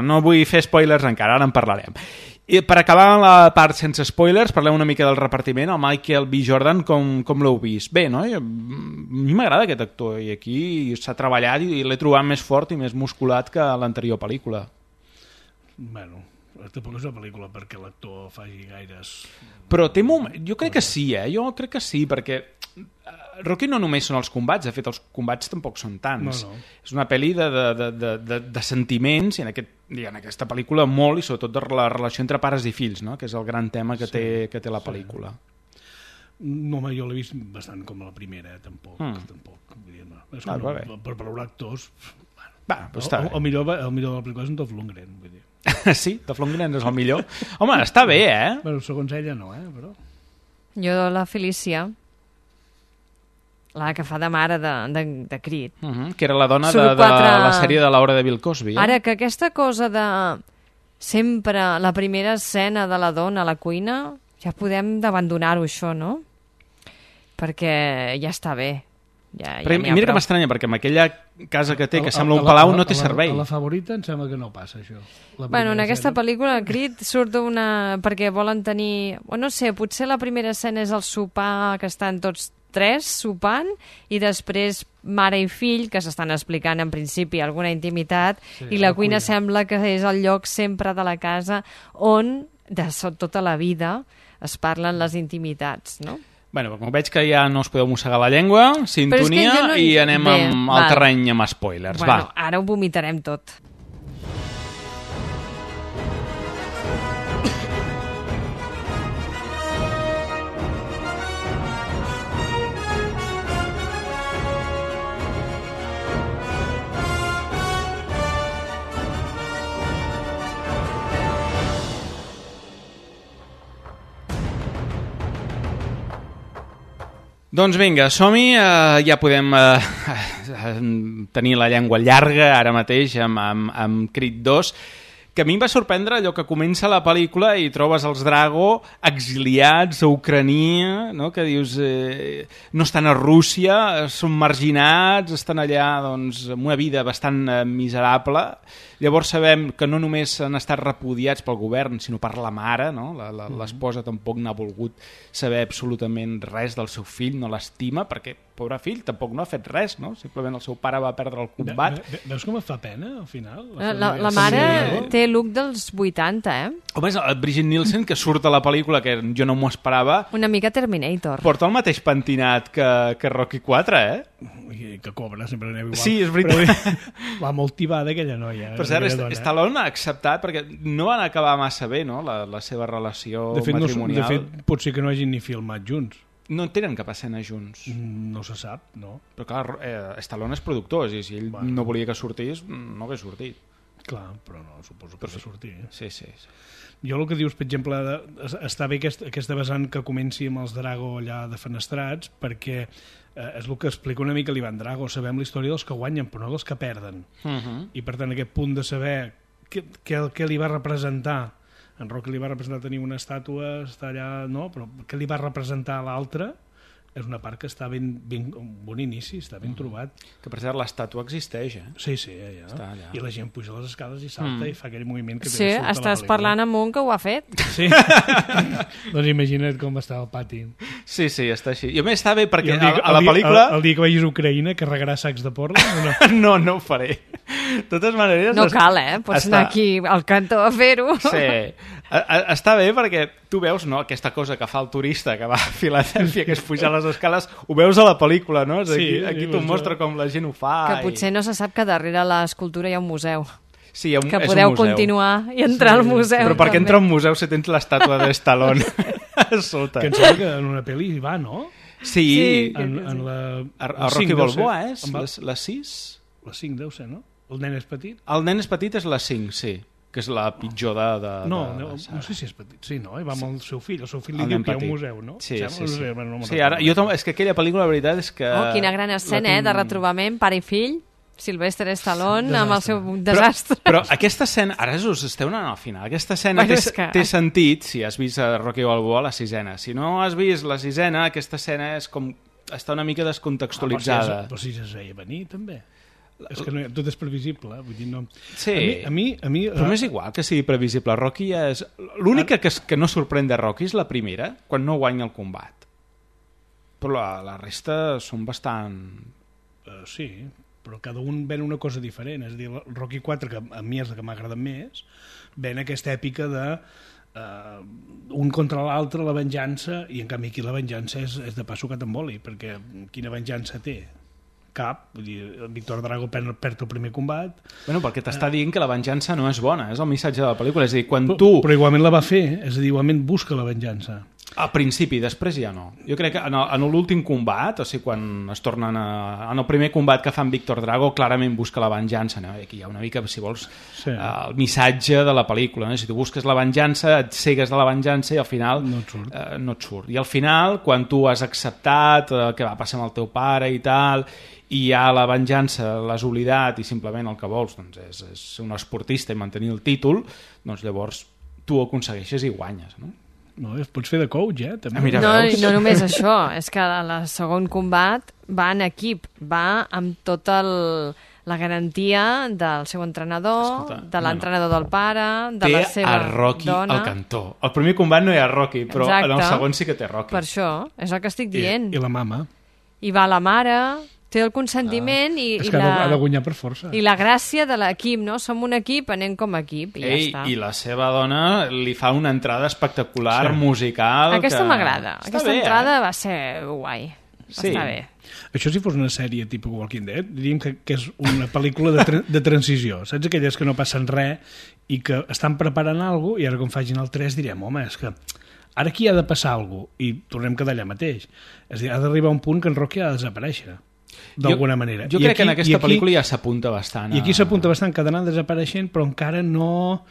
Speaker 3: No vull fer spoilers encara, ara en parlarem. I per acabar la part sense spoilers, parlem una mica del repartiment. El Michael B. Jordan, com l'heu vist? Bé, no? A mi m'agrada aquest actor, i aquí s'ha treballat i l'he trobat més fort i més musculat que l'anterior pel·lícula.
Speaker 4: Bueno... Tampoc és una pel·lícula perquè l'actor faci gaires...
Speaker 3: Però jo crec que sí, Jo crec que sí, perquè Rocky no només són els combats, de fet els combats tampoc són tants.
Speaker 4: No.
Speaker 3: És una pel·li de sentiments, i en aquesta pel·lícula molt, i sobretot de la relació entre pares i fills, no? Que és el gran tema que té la pel·lícula.
Speaker 4: No, home, jo l'he vist bastant com la primera, tampoc. Vull dir, no. És com per valorar actors... El millor de la pel·lícula és en Dolph Lundgren, vull dir.
Speaker 3: Sí, Dolph Lundgren és el millor. Home, està bé,
Speaker 4: Bueno, segons ella no, però...
Speaker 5: Jo la Felicia, la que fa de mare de Creed.
Speaker 3: Que era la dona de la sèrie de l'hora de Bill Cosby.
Speaker 5: Ara, que aquesta cosa de sempre la primera escena de la dona a la cuina, ja podem d'abandonar-ho, això, no? Perquè ja està bé.
Speaker 3: Però mira que m'estranya, perquè amb aquella casa que té, que sembla un palau, no té servei.
Speaker 4: A la Favorita em sembla que no passa, això.
Speaker 5: Bueno, en aquesta pel·lícula, Creed surt perquè volen tenir... No sé, potser la primera escena és el sopar, que estan tots tres sopant, i després mare i fill, que s'estan explicant en principi alguna intimitat, i la cuina sembla que és el lloc sempre de la casa on, de tota la vida, es parlen les intimitats, no?
Speaker 3: Bueno, com veig que ja no us podeu mossegar la llengua, sintonia, i anem al terreny amb spoilers.
Speaker 5: Bueno, ara ho vomitarem tot.
Speaker 3: Doncs vinga, som-hi, ja podem tenir la llengua llarga ara mateix amb Creed 2, que a mi em va sorprendre allò que comença la pel·lícula i trobes els Drago exiliats a Ucrania, no? Que dius no estan a Rússia, són marginats, estan allà doncs, amb una vida bastant miserable. Llavors sabem que no només han estat repudiats pel govern, sinó per la mare, no? L'esposa tampoc n'ha volgut saber absolutament res del seu fill, no l'estima, perquè, pobre fill, tampoc no ha fet res, no? Simplement el seu pare va perdre el combat.
Speaker 4: Veus com et fa pena, al final?
Speaker 5: La mare té look dels 80,
Speaker 3: Home, és el Brigitte Nielsen, que surt a la pel·lícula, que jo no m'ho esperava.
Speaker 5: Una mica Terminator.
Speaker 3: Porta el mateix pentinat que Rocky 4,
Speaker 4: I que cobra, sempre aneu igual.
Speaker 3: Sí, és veritat.
Speaker 4: Va molt tibada aquella noia.
Speaker 3: Per cert, Stallone ha acceptat, perquè no van acabar massa bé, no?, la seva relació matrimonial.
Speaker 4: De fet, pot ser que no hagin ni filmat junts.
Speaker 3: No tenen cap escena junts.
Speaker 4: No se sap, no.
Speaker 3: Però clar, Stallone és productor, i si ell no volia que sortís, no hagués sortit.
Speaker 4: Clar, però no, suposo que ha de sortir.
Speaker 3: Sí.
Speaker 4: Jo el que dius, per exemple, està bé aquesta vessant que comenci amb els Drago allà defenestrats, perquè és el que explica una mica l'Ivan Drago. Sabem la història dels que guanyen, però no dels que perden. I per tant, aquest punt de saber què li va representar. En Rocky li va representar tenir una estàtua, està allà, no? Però què li va representar a l'altre? És una part que està ben bon inici, està ben trobat.
Speaker 3: Que per cert, l'estàtua existeix,
Speaker 4: Sí, allà. Està allà. I la gent puja a les escales i salta i fa aquell moviment que
Speaker 5: sí, estàs parlant amb un que ho ha fet.
Speaker 4: Sí. Doncs imagina't com està el pati.
Speaker 3: Sí, està així. I a més està bé perquè a la pel·lícula...
Speaker 4: El dia que vagis a Ucraïna carregaràs sacs de porra?
Speaker 3: No ho faré. De totes maneres...
Speaker 5: No cal, pots anar aquí al cantó a fer-ho.
Speaker 3: Sí. Està bé perquè tu veus, no, aquesta cosa que fa el turista que va a Filadèlfia, que és pujar les escales, ho veus a la pel·lícula, no? Aquí t'ho mostra com la gent ho fa.
Speaker 5: Que potser no se sap que darrere l'escultura hi ha un museu.
Speaker 3: Sí,
Speaker 5: que podeu continuar i entrar al museu.
Speaker 3: Però per què entrar a un museu si tens l'estàtua de Stallone a sota?
Speaker 4: Que em sembla que en una pel·li hi va, no?
Speaker 3: Sí.
Speaker 4: En la...
Speaker 3: A Rocky Balboa, la 6?
Speaker 4: La 5 deu ser, no? El nen és petit?
Speaker 3: El nen és petit és la 5, sí. Que és la pitjor de
Speaker 4: no sé si és petit. Sí, no? I va amb el seu fill. El seu fill li diu que hi ha un museu, no?
Speaker 3: Sí. Ara, és que aquella pel·lícula, la veritat és que...
Speaker 5: Quina gran escena, de retrobament, pare i fill, Sylvester Stallone amb el seu desastre.
Speaker 3: Però aquesta escena, ara us esteu anant al final, aquesta escena té sentit si has vist a Rocky Balboa la 6ena. Si no has vist la 6ena, aquesta escena és com... està una mica descontextualitzada.
Speaker 4: Però si es veia venir, també. És que tot és previsible, vull dir, no...
Speaker 3: Sí,
Speaker 4: a mi,
Speaker 3: però m'és igual que sigui previsible. Rocky és... L'única que no sorprèn de Rocky és la primera, quan no guanya el combat. Però la resta són bastant...
Speaker 4: Sí, però cada un ven una cosa diferent. És a dir, el Rocky 4, que a mi és el que m'ha agradat més, ven aquesta èpica de un contra l'altre, la venjança, i en canvi aquí la venjança és de pa sucat amb oli, perquè quina venjança té? Cap, vull dir, el Víctor Drago perd el primer combat.
Speaker 3: Bueno, perquè t'està dient que la venjança no és bona, és el missatge de la pel·lícula, és a dir, quan tu...
Speaker 4: Però igualment la va fer, és a dir, igualment busca la venjança.
Speaker 3: Al principi, després ja no. Jo crec que en l'últim combat, o sigui, quan es tornen en el primer combat que fan Víctor Drago, clarament busca la venjança, no? Aquí hi ha una mica, si vols, el missatge de la pel·lícula, no? Si tu busques la venjança, et cegues de la venjança i al final no et surt. I al final, quan tu has acceptat el que va passar amb el teu pare i tal, i ja la venjança l'has oblidat i simplement el que vols doncs, és ser un esportista i mantenir el títol, doncs llavors tu ho aconsegueixes i guanyes, no?
Speaker 4: No, pots fer de coach, també.
Speaker 5: No només això, és que el segon combat va en equip, va amb tota la garantia del seu entrenador, de l'entrenador del pare, de la seva dona.
Speaker 3: Té a Rocky al cantó. El primer combat no hi ha Rocky, però en el segon sí que té Rocky.
Speaker 5: Per això, és el que estic dient.
Speaker 4: I la mama.
Speaker 5: I va la mare... té el consentiment
Speaker 4: és que ha de guanyar per força.
Speaker 5: I la gràcia de l'equip, no? Som un equip, anem com a equip i ja està.
Speaker 3: I la seva dona li fa una entrada espectacular, musical...
Speaker 5: Aquesta m'agrada. Aquesta entrada va ser guai. Va estar bé.
Speaker 4: Això si fos una sèrie tipus Walking Dead, diríem que és una pel·lícula de transició. Saps aquelles que no passen res i que estan preparant alguna cosa i ara quan facin el 3 direm, home, és que ara aquí ha de passar alguna cosa i tornem a quedar allà mateix. És a dir, ha d'arribar un punt que en Rocky ha de desaparèixer. D'alguna manera.
Speaker 3: Jo crec que en aquesta pel·lícula ja s'apunta bastant.
Speaker 4: I aquí s'apunta bastant que ha d'anar desapareixent, però encara no...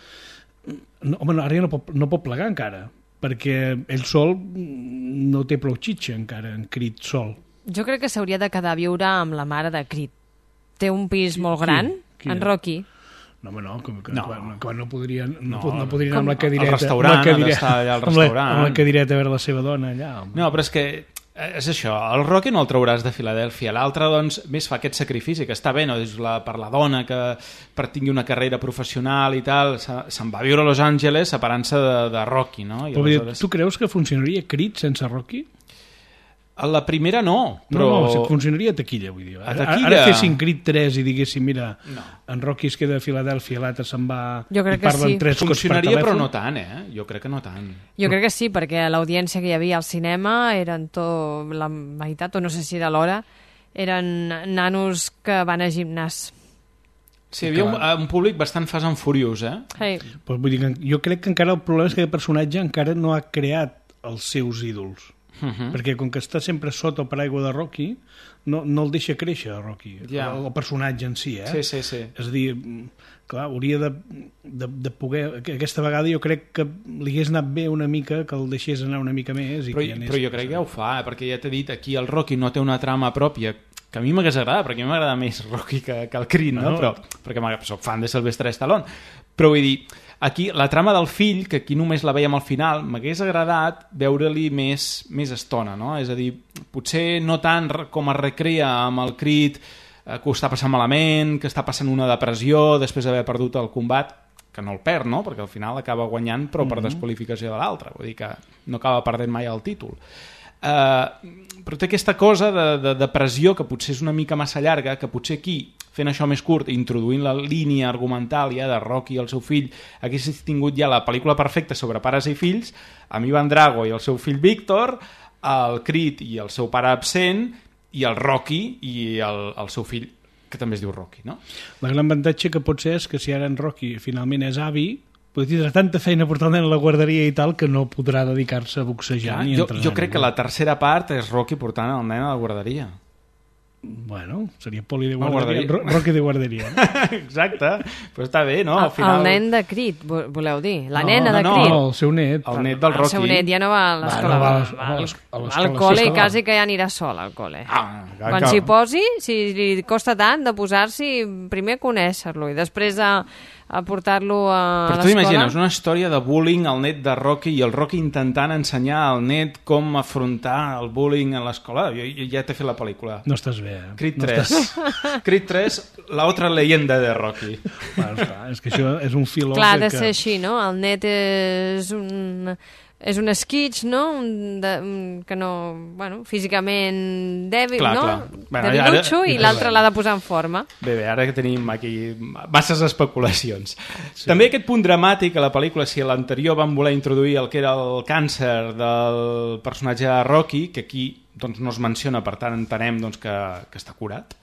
Speaker 4: Home, ara ja no pot plegar encara, perquè ell sol no té prou xitxa encara, en Creed sol.
Speaker 5: Jo crec que s'hauria de quedar a viure amb la mare de Creed. Té un pis molt gran, en Rocky.
Speaker 4: No, home, no, que no podrien anar amb la cadireta.
Speaker 3: Al restaurant, ha d'estar allà al restaurant.
Speaker 4: Amb la cadireta a veure la seva dona allà. Home.
Speaker 3: No, però és que és això, el Rocky no el trauràs de Filadèlfia, l'altre doncs més fa aquest sacrifici, que està bé, no? Per la dona que per tingui una carrera professional i tal, se'n va viure a Los Angeles separant-se de Rocky, no? I
Speaker 4: aleshores... Tu creus que funcionaria Creed sense Rocky?
Speaker 3: A la primera no, però...
Speaker 4: No, funcionaria a taquilla, vull dir. Ara fessin Creed 3 i diguéssim, mira, en Rocky es queda a Filadèlfia, l'altre se'n va...
Speaker 5: Jo crec que sí.
Speaker 3: Funcionaria, però no tant, Jo crec que no tant.
Speaker 5: Jo crec que sí, perquè l'audiència que hi havia al cinema eren la meitat, o no sé si era l'hora, eren nanos que van a gimnàs.
Speaker 3: Sí, hi havia un públic bastant fast and furious,
Speaker 5: Hey.
Speaker 4: Pues vull dir que jo crec que encara el problema és que aquest personatge encara no ha creat els seus ídols. Perquè com que està sempre sota el paraigua de Rocky, no el deixa créixer Rocky, el personatge en si,
Speaker 3: Sí.
Speaker 4: És a dir, clar, hauria de poder... Aquesta vegada jo crec que li hagués anat bé una mica, que el deixés anar una mica més.
Speaker 3: Però jo crec que ja ho fa, perquè ja t'he dit, aquí el Rocky no té una trama pròpia, que a mi m'hagués agradat, perquè a mi m'agrada més Rocky que el Creed, no? Però, perquè soc fan de Sylvester Stallone. Però vull dir, aquí la trama del fill, que aquí només la veiem al final, m'hagués agradat veure-li més estona, no? És a dir, potser no tant com es recrea amb el Creed, que ho està passant malament, que està passant una depressió després d'haver perdut el combat, que no el perd, no? Perquè al final acaba guanyant, però per desqualificació de l'altre. Vull dir que no acaba perdent mai el títol. Però té aquesta cosa de depressió que potser és una mica massa llarga, que potser aquí, fent això més curt, introduint la línia argumental ja de Rocky i el seu fill, hagués tingut ja la pel·lícula perfecta sobre pares i fills, amb Ivan Drago i el seu fill Víctor, el Creed i el seu pare absent, i el Rocky i el seu fill, que també es diu Rocky, no?
Speaker 4: La gran avantatge que pot ser és que si ara en Rocky finalment és avi, tindrà tanta feina portar el nen a la guarderia i tal que no podrà dedicar-se a boxejar ni a entrenar.
Speaker 3: Jo crec que la tercera part és Rocky portant el nen a la guarderia.
Speaker 4: Bueno, seria Poli de guarderia. Rocky de guarderia.
Speaker 3: Exacte, però està bé, no? Al final...
Speaker 5: El nen de Creed, voleu dir? La nena de Creed?
Speaker 4: No, el seu net.
Speaker 3: El net del Rocky.
Speaker 5: El seu net ja no va a l'escola. Va al col·le i quasi que ja anirà sol al col·le. Quan s'hi posi, si li costa tant de posar-s'hi, primer conèixer-lo i després a portar-lo a l'escola.
Speaker 3: Però tu imagines una història de bullying al net de Rocky i el Rocky intentant ensenyar al net com afrontar el bullying a l'escola. Jo ja t'he fet la pel·lícula.
Speaker 4: No estàs bé,
Speaker 3: Creed 3. Creed 3, la otra leyenda de Rocky.
Speaker 4: Bueno, clar, és que això és un filó...
Speaker 5: Clar, ha de ser així, no? El net és un esquitx, no? Que no... Bueno, físicament dèbil, no? Debilutxo, i l'altre l'ha de posar en forma.
Speaker 3: Bé, ara que tenim aquí masses especulacions. Sí. També aquest punt dramàtic a la pel·lícula, si a l'anterior van voler introduir el que era el càncer del personatge de Rocky, que aquí doncs, no es menciona, per tant entenem doncs, que està curat.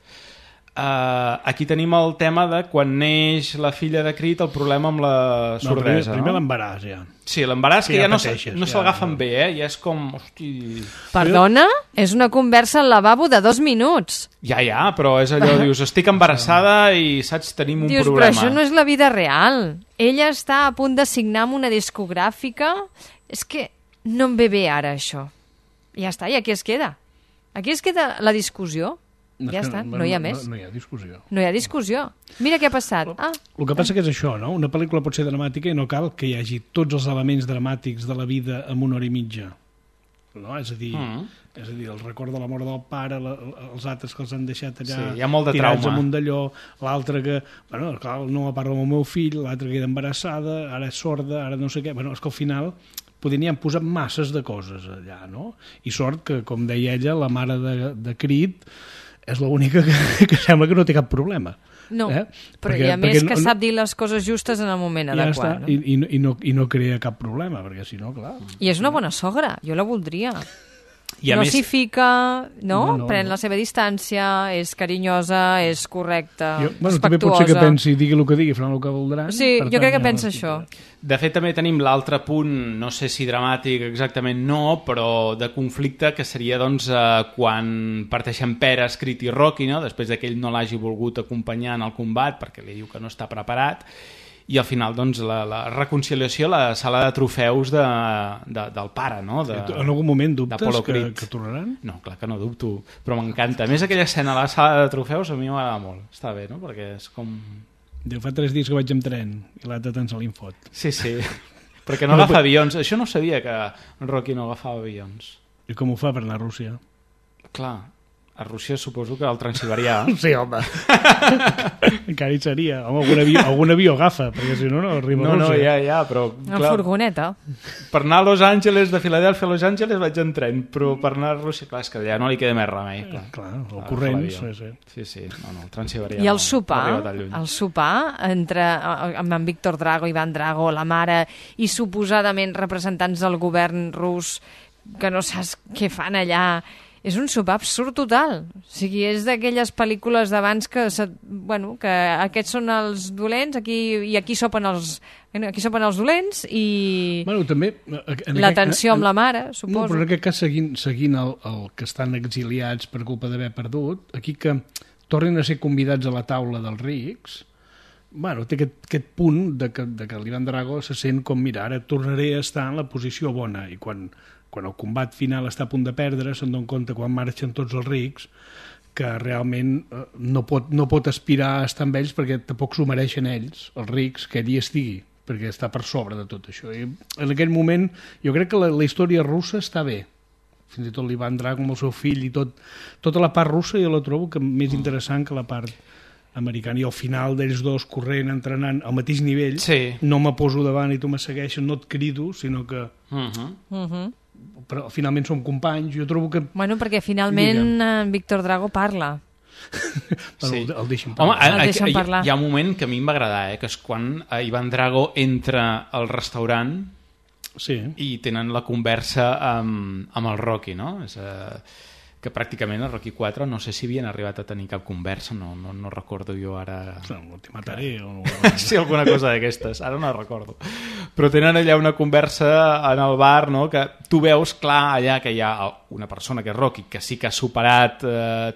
Speaker 3: Aquí tenim el tema de quan neix la filla de Creed, el problema amb la sordesa.
Speaker 4: Primer l'embaràs, ja.
Speaker 3: Sí, l'embaràs que ja no s'agafen bé, ja és com... Hosti...
Speaker 5: Perdona? És una conversa al lavabo de 2 minuts.
Speaker 3: Ja, però és allò, dius, estic embarassada i, saps, tenim un problema.
Speaker 5: Però això no és la vida real. Ella està a punt de signar amb una discogràfica. És que no em ve bé ara, això. Ja està, i aquí es queda. Aquí es queda la discussió. Ja està, no hi ha més.
Speaker 4: No hi ha discussió.
Speaker 5: No hi ha discussió. Mira què ha passat.
Speaker 4: El que passa que és això, no? Una pel·lícula pot ser dramàtica i no cal que hi hagi tots els elements dramàtics de la vida en 1 hora i mitja. No? És a dir, el record de la mort del pare, els altres que els han deixat allà
Speaker 3: hi ha molt de
Speaker 4: tirats
Speaker 3: trauma.
Speaker 4: amunt d'allò, l'altre que, bueno, clar, no parla amb el meu fill, l'altre que queda embarassada, ara és sorda, ara no sé què. Bueno, és que al final podrien posar masses de coses allà, no? I sort que, com deia ella, la mare de Creed és l'única que sembla que no té cap problema.
Speaker 5: No, però hi ha més que sap dir les coses justes en el moment adequat.
Speaker 4: Ja està, i no crea cap problema, perquè si no, clar...
Speaker 5: I és una bona sogra, jo la voldria. No s'hi fica, no? Pren la seva distància, és carinyosa, és correcta, respectuosa.
Speaker 4: També pot ser que pensi, digui el que digui, faran el que voldran.
Speaker 5: Sí, jo crec que pensa això.
Speaker 3: De fet, també tenim l'altre punt, no sé si dramàtic exactament no, però de conflicte, que seria doncs, quan parteixen Peres, Creed i Rocky, no? Després que ell no l'hagi volgut acompanyar en el combat perquè li diu que no està preparat, i al final doncs, la reconciliació a la sala de trofeus del pare, no?
Speaker 4: En algun moment dubtes que tornaran?
Speaker 3: No, clar que no dubto, però m'encanta. A més, aquella escena a la sala de trofeus a mi m'agrada molt. Està bé, no? Perquè és com...
Speaker 4: Diu, fa 3 dies que vaig amb tren i l'altre tant se l'infot.
Speaker 3: Sí, perquè no agafa avions. Això no sabia, que Rocky no agafava avions.
Speaker 4: I com ho fa per anar a Rússia?
Speaker 3: Clar, a Rússia suposo que el Transsiberià.
Speaker 4: Sí, home. Encara hi seria. Home, algun avió agafa, perquè si no arriba a Rússia.
Speaker 3: Ja, però...
Speaker 5: Una furgoneta.
Speaker 3: Per anar a Los Angeles, de Filadèlfia a Los Angeles vaig en tren, però per anar a Rússia, clar, és que allà no li queda més remei.
Speaker 4: Clar, el corrent.
Speaker 3: Sí, no, el Transsiberià.
Speaker 5: I el sopar entre amb en Víctor Drago, Ivan Drago, la mare, i suposadament representants del govern rus, que no saps què fan allà... És un sopar absurd total. O sigui, és d'aquelles pel·lícules d'abans que aquests són els dolents i aquí sopen els dolents i
Speaker 4: també
Speaker 5: l'atenció amb la mare, suposo.
Speaker 4: No, però en aquest cas, seguint el que estan exiliats per culpa d'haver perdut, aquí que tornin a ser convidats a la taula dels rics, té aquest punt de que l'Ivan Drago se sent com, mira, ara tornaré a estar en la posició bona, i quan el combat final està a punt de perdre, se'n donen compte quan marxen tots els rics que realment no pot aspirar a estar amb ells perquè tampoc s'ho mereixen ells, els rics, que ell hi estigui, perquè està per sobre de tot això. I en aquell moment jo crec que la història russa està bé, fins i tot l'Ivan Drago amb el seu fill i tota la part russa jo la trobo que més interessant que la part americana, i al final d'ells dos corrent, entrenant al mateix nivell, no me poso davant i tu me segueixes, no et crido, sinó que però finalment som companys. Jo trobo que...
Speaker 5: Bueno, perquè finalment en Víctor Drago parla.
Speaker 4: El deixen parlar.
Speaker 3: Home, hi ha un moment que a mi em va agradar, que és quan Ivan Drago entra al restaurant i tenen la conversa amb el Rocky, no? Que pràcticament a Rocky 4 no sé si havien arribat a tenir cap conversa, no recordo jo ara...
Speaker 4: Te mataré o...
Speaker 3: Sí, alguna cosa d'aquestes, ara no recordo. Però tenen allà una conversa en el bar, no?, que tu veus clar allà que hi ha una persona que és Rocky, que sí que ha superat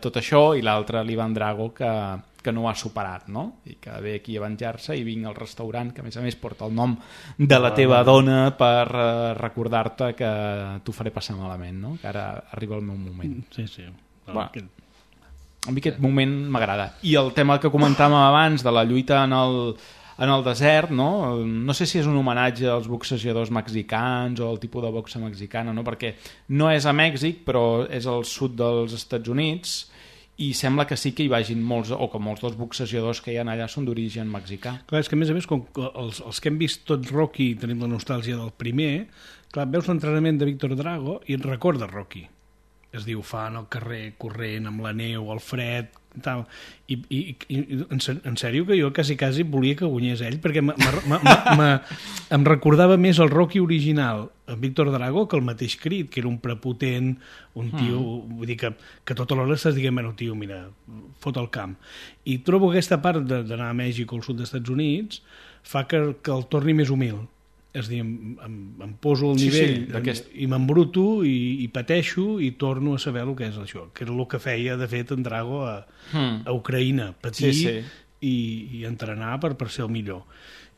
Speaker 3: tot això, i l'altre, l'Ivan Drago, que no ho ha superat, no? I que ve aquí a venjar-se i vinc al restaurant, que a més porta el nom de la teva dona per recordar-te que t'ho faré passar malament, no? Que ara arriba el meu moment.
Speaker 4: Sí.
Speaker 3: A mi aquest moment m'agrada. I el tema que comentàvem abans de la lluita en el desert, no? No sé si és un homenatge als boxejadors mexicans o al tipus de boxa mexicana, no? Perquè no és a Mèxic, però és al sud dels Estats Units, i sembla que sí que hi vagin molts, o que molts dels boxejadors que hi ha allà són d'origen mexicà.
Speaker 4: Clar, és que a més, com els que hem vist tots Rocky, tenim la nostàlgia del primer, clar, veus l'entrenament de Víctor Drago i et recorda Rocky. Es diu, fan al carrer, corrent, amb la neu, el fred, tal. I en sèrio que jo quasi volia que guanyés ell, perquè em recordava més el Rocky original, en Víctor Drago, que el mateix Creed, que era un prepotent, un tio, vull dir que tota l'hora estàs dient, bueno, tio, mira, fot el camp. I trobo aquesta part d'anar a Mèxic o al sud dels Estats Units fa que el torni més humil. És a dir, em poso al nivell i m'embruto i pateixo i torno a saber el que és això, que era el que feia, de fet, en Drago a Ucraïna, patir i entrenar per ser el millor.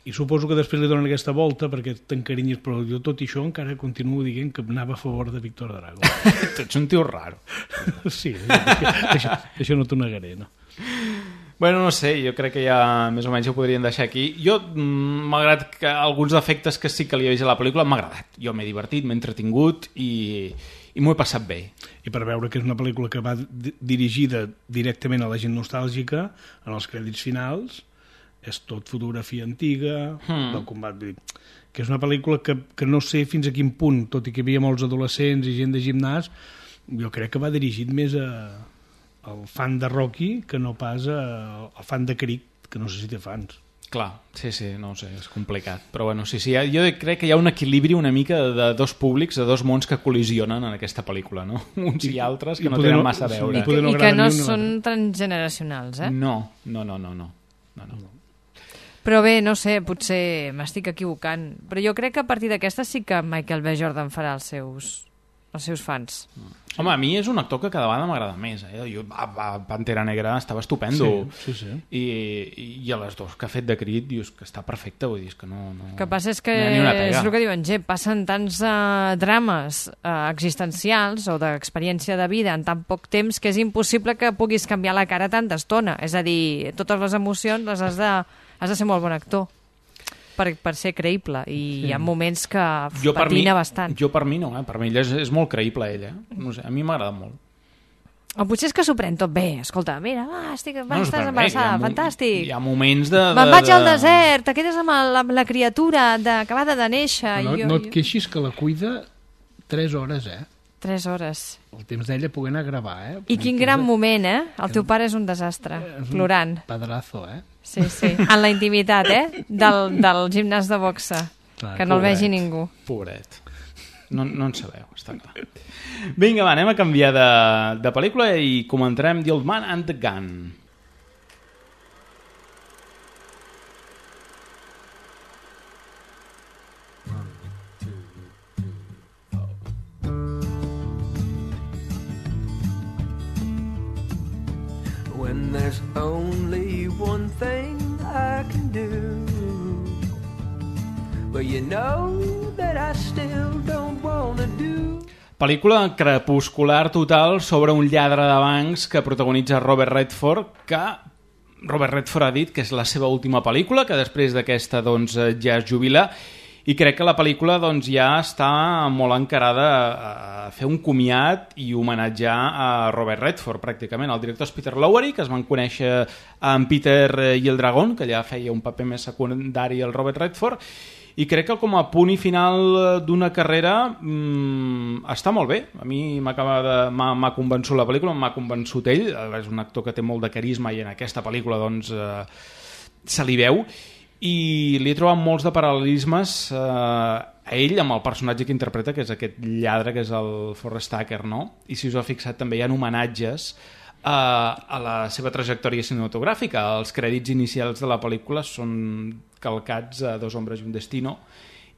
Speaker 4: I suposo que després li donen aquesta volta perquè t'encarinyes, però jo tot i això encara continuo dient que anava a favor de Víctor Drago.
Speaker 3: Tu ets un tio raro.
Speaker 4: Sí, això no t'ho negaré, no?
Speaker 3: Bueno, no sé, jo crec que ja més o menys ho podríem deixar aquí. Jo, malgrat que alguns defectes que sí que li he vist a la pel·lícula, m'ha agradat. Jo m'he divertit, m'he entretingut i m'ho he passat bé.
Speaker 4: I per veure que és una pel·lícula que va dirigida directament a la gent nostàlgica, en els crèdits finals, és tot fotografia antiga, del combat, que és una pel·lícula que no sé fins a quin punt, tot i que hi havia molts adolescents i gent de gimnàs, jo crec que va dirigit més al fan de Rocky que no pas al fan de Creed, que no sé si té fans.
Speaker 3: Clar, sí, no ho sé, és complicat. Però bueno, sí, jo crec que hi ha un equilibri una mica de dos públics, de dos mons que col·lisionen en aquesta pel·lícula, no? Uns i altres que no tenen massa a veure.
Speaker 5: I que no són transgeneracionals, eh?
Speaker 3: No.
Speaker 5: Però bé, no sé, potser m'estic equivocant. Però jo crec que a partir d'aquesta sí que Michael B. Jordan farà els seus fans.
Speaker 3: Home, a mi és un actor que cada vegada m'agrada més. Jo a Pantera Negra estava estupendo.
Speaker 4: Sí.
Speaker 3: I a les dos que ha fet de Creed dius que està perfecte, vull dir que no...
Speaker 5: El que passa és que és el que diuen, passen tants drames existencials o d'experiència de vida en tan poc temps que és impossible que puguis canviar la cara tanta estona. És a dir, totes les emocions les has de has de ser molt bon actor per ser creïble, i hi ha moments que patina bastant.
Speaker 3: Jo per mi no, per mi ella és molt creïble, ella. No sé, a mi m'agrada molt.
Speaker 5: O potser és que s'ho pren tot bé. Escolta, mira, estàs embarassada, fantàstic.
Speaker 3: Hi ha moments de...
Speaker 5: Me'n vaig al desert, te quedes amb la criatura acabada de néixer.
Speaker 4: No et queixis que la cuida 3 hores,
Speaker 5: 3 hores.
Speaker 4: El temps d'ella poder anar a gravar,
Speaker 5: I quin gran moment, El teu pare és un desastre, plorant.
Speaker 4: Pedrazo,
Speaker 5: Sí, en la intimitat, del gimnàs de boxa, que no el vegi ningú.
Speaker 3: Pobret. No en sabeu, està clar. Vinga, va, anem a canviar de pel·lícula i comentarem The Old Man and the Gun.
Speaker 17: When there's only one thing I can do, but you know that I still don't wanna do.
Speaker 3: Pel·lícula crepuscular total sobre un lladre de bancs que protagonitza Robert Redford, que Robert Redford ha dit que és la seva última pel·lícula, que després d'aquesta doncs, ja es jubila, i crec que la pel·lícula doncs, ja està molt encarada a fer un comiat i homenatjar a Robert Redford, pràcticament. El director és Peter Lowery, que es van conèixer amb Peter i el Dragón, que ja feia un paper més secundari al Robert Redford, i crec que com a punt i final d'una carrera està molt bé. A mi m'ha convençut la pel·lícula, m'ha convençut ell, és un actor que té molt de carisma i en aquesta pel·lícula doncs, se li veu, i li he trobat molts de paral·lelismes a ell amb el personatge que interpreta, que és aquest lladre, que és el Forrest Tucker, no? I si us heu fixat també hi ha homenatges a la seva trajectòria cinematogràfica. Els crèdits inicials de la pel·lícula són calcats a Dos hombres i un destino.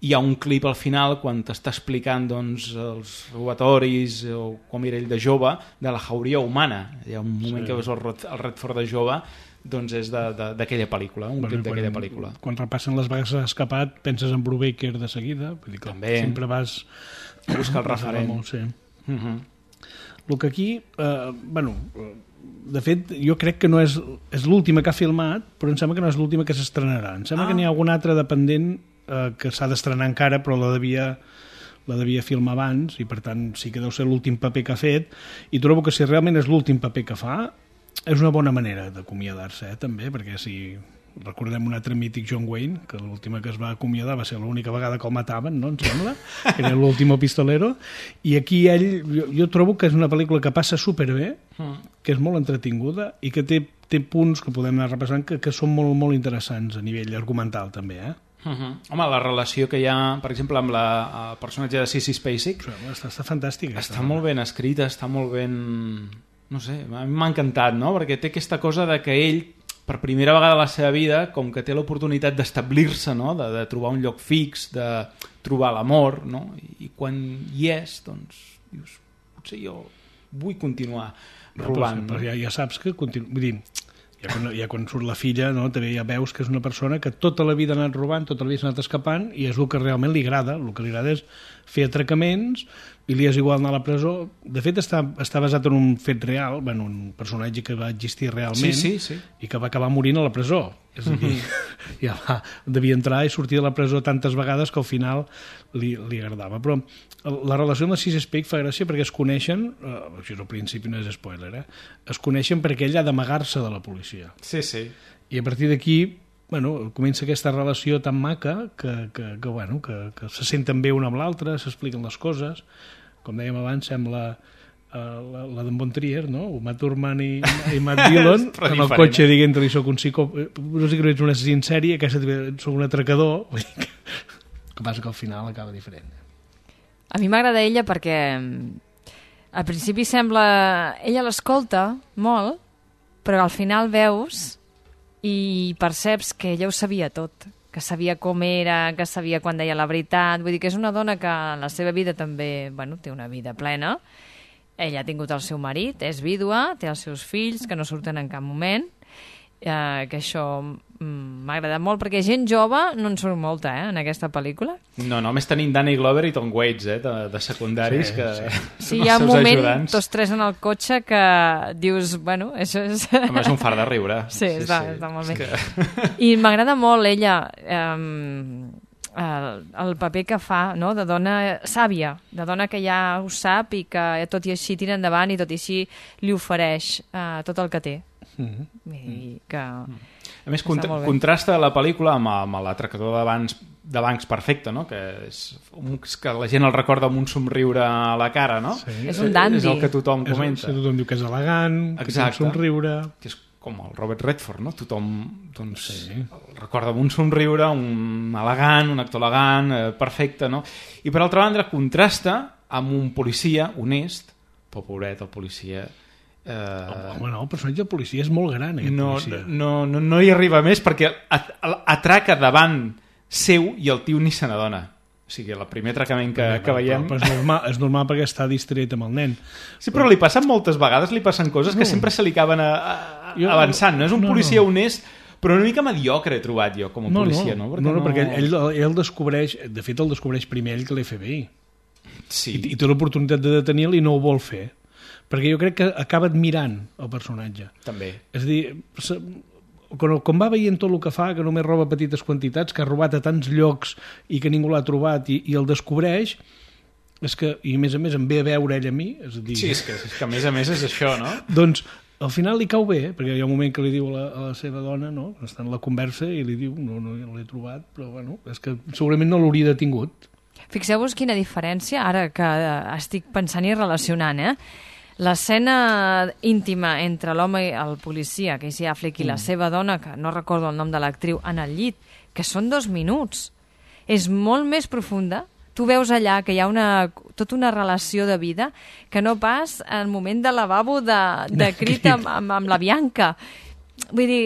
Speaker 3: Hi ha un clip al final quan t'està explicant doncs, els robatoris o com era ell de jove, de la jauria humana. Hi ha un moment que veus el Redford de jove, doncs és d'aquella pel·lícula, un clip d'aquella pel·lícula.
Speaker 4: Quan repassen les vagues escapat penses en Brubaker de seguida, vull dir que
Speaker 3: també
Speaker 4: sempre vas
Speaker 3: a buscar el referent.
Speaker 4: Sí. El que aquí, de fet, jo crec que no és l'última que ha filmat, però em sembla que no és l'última que s'estrenarà. Em sembla que n'hi ha alguna altra dependent que s'ha d'estrenar encara, però la devia filmar abans, i per tant sí que deu ser l'últim paper que ha fet, i trobo que si realment és l'últim paper que fa, és una bona manera d'acomiadar-se, també, perquè si recordem un altre mític, John Wayne, que l'última que es va acomiadar va ser l'única vegada que el mataven, no, em sembla, que era l'último pistolero, i aquí ell, jo trobo que és una pel·lícula que passa superbé, que és molt entretinguda i que té punts que podem anar repassant que són molt, molt interessants a nivell argumental, també,
Speaker 3: Home, la relació que hi ha, per exemple, amb el personatge de Sissy Spacek
Speaker 4: està fantàstica.
Speaker 3: Està molt ben escrita, està molt ben... No sé, a mi m'ha encantat, no? Perquè té aquesta cosa de que ell, per primera vegada a la seva vida, com que té l'oportunitat d'establir-se, no? De trobar un lloc fix, de trobar l'amor, no? I quan hi és, doncs, dius, potser jo vull continuar robant.
Speaker 4: Però ja saps que... Vull dir, ja quan surt la filla, no? També ja veus que és una persona que tota la vida ha anat robant, tota la vida s'ha anat escapant, i és el que realment li agrada. El que li agrada és fer atracaments, i li és igual anar a la presó. De fet, està basat en un fet real, un personatge que va existir realment,
Speaker 3: sí.
Speaker 4: I que va acabar morint a la presó. És a dir, devia entrar i sortir de la presó tantes vegades que al final li agradava. Però la relació amb la Sissy Spacek fa gràcia perquè es coneixen, això al principi no és spoiler, es coneixen perquè ell ha d'amagar-se de la policia.
Speaker 3: Sí.
Speaker 4: I a partir d'aquí comença aquesta relació tan maca que se senten bé una amb l'altra, s'expliquen les coses. Com dèiem abans, sembla la d'en Von Trier, no? Uma Thurman i Matt Dillon amb el cotxe dient-li soc un no sé que no ets un assassí en sèrie, que soc un atracador. Que passa que al final acaba diferent.
Speaker 5: A mi m'agrada ella perquè al principi sembla... Ella l'escolta molt, però al final veus i perceps que ella ho sabia tot, que sabia com era, que sabia quan deia la veritat. Vull dir que és una dona que en la seva vida també té una vida plena. Ella ha tingut el seu marit, és vídua, té els seus fills, que no surten en cap moment, que això m'ha agradat molt, perquè gent jove no en surt molta, en aquesta pel·lícula.
Speaker 3: No, només tenim Danny Glover i Tom Waits, de secundaris, que
Speaker 5: Sí, hi ha un moment, tots tres en el cotxe, que dius, bueno, això és...
Speaker 3: Home, és un far de riure.
Speaker 5: Sí, està molt bé. I m'agrada molt ella... el paper que fa, no?, de dona sàvia, de dona que ja ho sap i que tot i així tira endavant i tot i així li ofereix tot el que té. I que...
Speaker 3: A més, contrasta la pel·lícula amb l'atracador de bancs perfecte, no?, que que la gent el recorda amb un somriure a la cara, no?
Speaker 5: Sí. És un dandy.
Speaker 3: És el que tothom comenta.
Speaker 4: Tothom diu que és elegant, que té un somriure...
Speaker 3: Que és com el Robert Redford, no? Tothom el recorda amb un somriure, un elegant, un actor elegant, perfecte, no? I per altra banda contrasta amb un policia honest, però pobret, el policia...
Speaker 4: Home, no, el personatge del policia és molt gran, policia.
Speaker 3: No hi arriba més perquè atraca davant seu i el tio ni se n'adona. O sigui, el primer atracament que veiem...
Speaker 4: Però és normal perquè està distret amb el nen.
Speaker 3: Sí, però li passen moltes vegades, li passen coses que sempre se li acaben avançant. No és un policia honest, però una mica mediocre he trobat jo com a policia. No,
Speaker 4: perquè ell descobreix... De fet, el descobreix primer ell que l'FBI.
Speaker 3: Sí.
Speaker 4: I té l'oportunitat de detenir-lo i no ho vol fer. Perquè jo crec que acaba admirant el personatge.
Speaker 3: També.
Speaker 4: És a dir... quan va veient tot el que fa, que només roba petites quantitats, que ha robat a tants llocs i que ningú l'ha trobat i el descobreix, i a més en ve a veure ell a mi, és a dir...
Speaker 3: Sí, és que a més és això, no?
Speaker 4: Doncs al final li cau bé, perquè hi ha un moment que li diu a la seva dona, no?, està en la conversa i li diu, no l'he trobat, però bueno, és que segurament no l'hauria detingut.
Speaker 5: Fixeu-vos quina diferència, ara que estic pensant i relacionant, l'escena íntima entre l'home i el policia, Casey Affleck, i la seva dona, que no recordo el nom de l'actriu, en el llit, que són 2 minuts. És molt més profunda. Tu veus allà que hi ha tota una relació de vida que no pas al moment de lavabo de crit amb la Bianca. Vull dir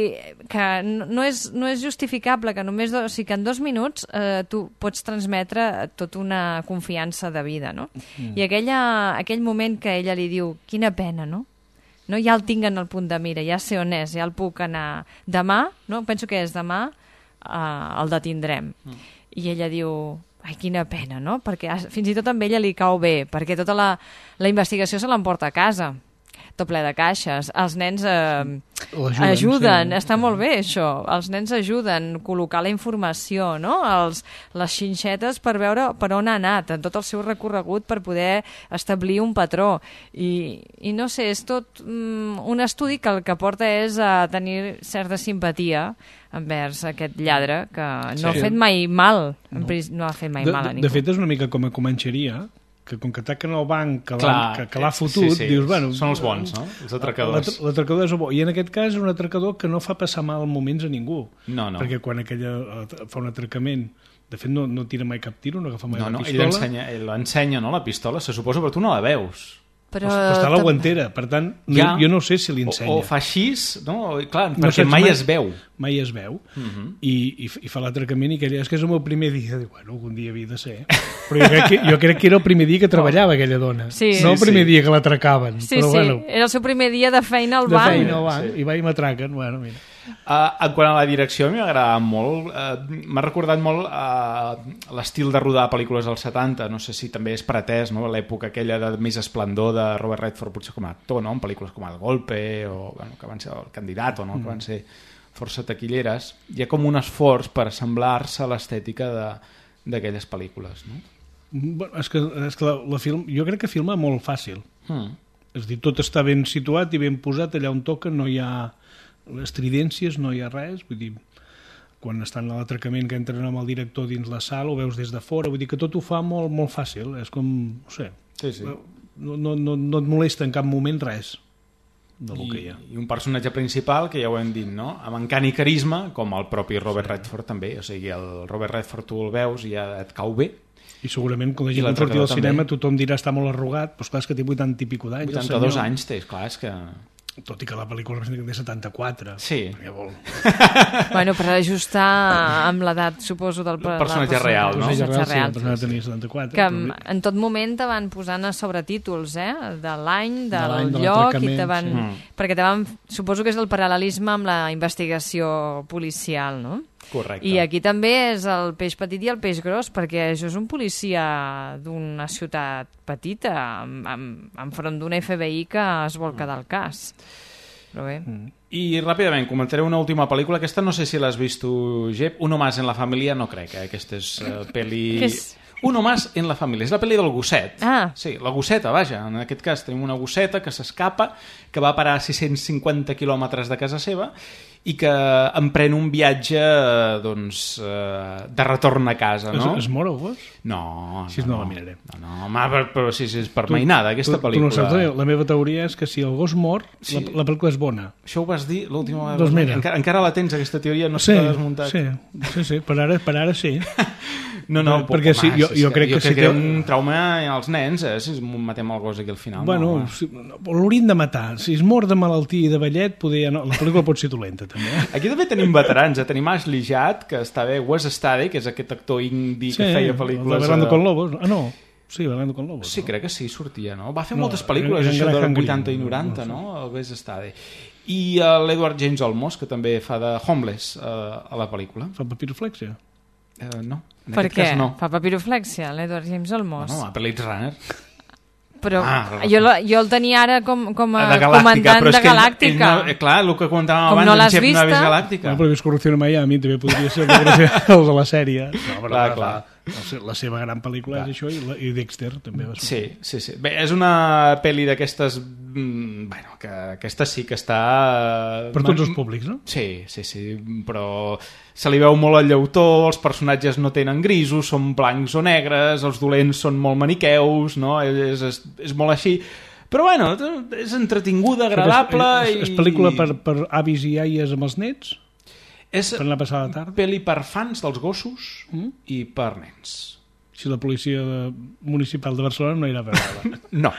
Speaker 5: que no és justificable que només que en 2 minuts tu pots transmetre tota una confiança de vida, no? I aquell moment que ella li diu quina pena, no? Ja el tinc en el punt de mira, ja sé on és, ja el puc anar demà, no? Penso que és demà, el detindrem. I ella diu ai, quina pena, no? Perquè fins i tot amb ella li cau bé, perquè tota la investigació se l'emporta a casa, tot ple de caixes. Els nens ajuden, està molt bé això. Els nens ajuden a col·locar la informació, no? Les xinxetes per veure per on ha anat, en tot el seu recorregut per poder establir un patró. I no sé, és tot un estudi que el que porta és a tenir certa simpatia envers aquest lladre que no ha fet mai mal. No ha fet mai mal a ningú.
Speaker 4: De fet, és una mica com a Comanxeria, que com que ataquen el banc que l'ha fotut, dius, bueno...
Speaker 3: Són els bons, no? Els atracadors.
Speaker 4: L'atracador és el bo. I en aquest cas és un atracador que no fa passar mal moments a ningú.
Speaker 3: No.
Speaker 4: Perquè quan aquella fa un atracament, de fet no tira mai cap tiro, no agafa mai la pistola.
Speaker 3: Ell l'ensenya, no?, la pistola, se suposa, però tu no la veus.
Speaker 4: Però està a la guantera, per tant, jo no sé si li ensenya.
Speaker 3: O fa així, no? Clar, perquè mai es veu.
Speaker 4: Mai es veu. I fa l'atracament i aquella, és que és el meu primer dia. Diu, bueno, algun dia havia de ser. Però jo crec que era el primer dia que treballava aquella dona. No el primer dia que l'atracaven.
Speaker 5: Sí, era el seu primer dia de feina al banc.
Speaker 4: De feina al banc, i va i m'atraquen. Bueno, mira.
Speaker 3: En quant a la direcció, a mi m'ha agradat molt. M'ha recordat molt l'estil de rodar pel·lícules dels 70. No sé si també és pretès, no?, l'època aquella de més esplendor de Robert Redford, potser com a actor, no?, en pel·lícules com El Golpe o que van ser El Candidato, no?, que van ser força taquilleres. Hi ha com un esforç per assemblar-se a l'estètica d'aquelles pel·lícules, no?
Speaker 4: Bueno, és que jo crec que filma molt fàcil. És a dir, tot està ben situat i ben posat allà on toca, no hi ha estridències, no hi ha res, vull dir, quan estan a l'atracament que entren amb el director dins la sala, ho veus des de fora, vull dir que tot ho fa molt, molt fàcil, és com, no sé, no et molesta en cap moment res del que hi ha.
Speaker 3: I un personatge principal, que ja ho hem dit, no?, amb encant i carisma, com el propi Robert Redford també, o sigui, el Robert Redford tu el veus i ja et cau bé.
Speaker 4: I segurament quan la gent surti del cinema tothom dirà està molt arrugat, però esclar, és que té 80 i pico d'anys.
Speaker 3: 82 anys té, esclar, és que...
Speaker 4: tot i que la pel·lícula representa que té 74.
Speaker 3: Sí.
Speaker 5: Bueno, per ajustar amb l'edat, suposo, del
Speaker 3: personatge real, no?
Speaker 4: El personatge tenia 74.
Speaker 5: Que en tot moment te van posant a sobretítols, de l'any, del lloc, i te van... Perquè te van... Suposo que és el paral·lelisme amb la investigació policial, no?
Speaker 3: Correcte.
Speaker 5: I aquí també és el peix petit i el peix gros, perquè això és un policia d'una ciutat petita, enfront d'un FBI que es vol quedar al cas. Però bé...
Speaker 3: I ràpidament, comentaré una última pel·lícula. Aquesta no sé si l'has vist tu, Jep. Uno más en la família, no crec, Aquesta és pel·li...
Speaker 5: Què és?
Speaker 3: Uno más en la família. És la pel·li del gosset.
Speaker 5: Ah.
Speaker 3: Sí, la gosseta, vaja. En aquest cas tenim una gosseta que s'escapa, que va a parar a 650 quilòmetres de casa seva i que emprèn un viatge de retorn a casa, no?
Speaker 4: Es mor el gos?
Speaker 3: No.
Speaker 4: Si no la miraré.
Speaker 3: No, però si és per mainada, aquesta pel·lícula.
Speaker 4: Tu no saps, la meva teoria és que si el gos mor, la pel·lícula és bona.
Speaker 3: Això ho vas dir l'última
Speaker 4: vegada. Doncs mira.
Speaker 3: Encara la tens, aquesta teoria, no s'ha desmuntat.
Speaker 4: Sí, per ara sí.
Speaker 3: No,
Speaker 4: perquè sí, jo crec que si
Speaker 3: té un trauma als nens, si matem el gos aquí al final.
Speaker 4: Bueno, l'haurien de matar. Si es mor de malaltia i de vellet, la pel·lícula pot ser dolenta, també.
Speaker 3: Aquí també tenim veterans. Tenim Ashley Judd, que està bé, Wes Studi, que és aquest actor indi que feia pel·lícules...
Speaker 4: Sí, Bailando con Lobos. Ah, no. Sí, Bailando con Lobos.
Speaker 3: Sí, crec que sí, sortia, no? Va fer moltes pel·lícules, això de 80 i 90, no? El Wes Studi. I l'Edward James Olmos, que també fa de Homeless a la pel·lícula.
Speaker 4: Fa papiroflexia?
Speaker 3: No.
Speaker 5: Per què? Fa papiroflexia, l'Edward James Olmos?
Speaker 3: No, a Blade Runner.
Speaker 5: Però jo el tenia ara com a comandant de Galàctica.
Speaker 3: Clar, el que comentàvem abans,
Speaker 5: no l'has
Speaker 3: en Chef
Speaker 5: vista?
Speaker 3: Naves Galàctica.
Speaker 4: Però és Corrupció en Miami, també podria ser el de la sèrie.
Speaker 3: Clar.
Speaker 4: La seva gran pel·lícula és això, i Dexter també va
Speaker 3: ser. Sí. Bé, és una pel·li d'aquestes... Bueno, que aquesta sí que està...
Speaker 4: Per tots els públics, no?
Speaker 3: Sí, però se li veu molt el llautó, els personatges no tenen grisos, són blancs o negres, els dolents són molt maniqueus, no? És molt així. Però bueno, és entretinguda, agradable...
Speaker 4: És pel·lícula per avis i aies amb els nets?
Speaker 3: És
Speaker 4: per anar a passar la tarda?
Speaker 3: Pel·li per fans dels gossos i per nens.
Speaker 4: Si la policia municipal de Barcelona no irà a veure-la.
Speaker 3: No.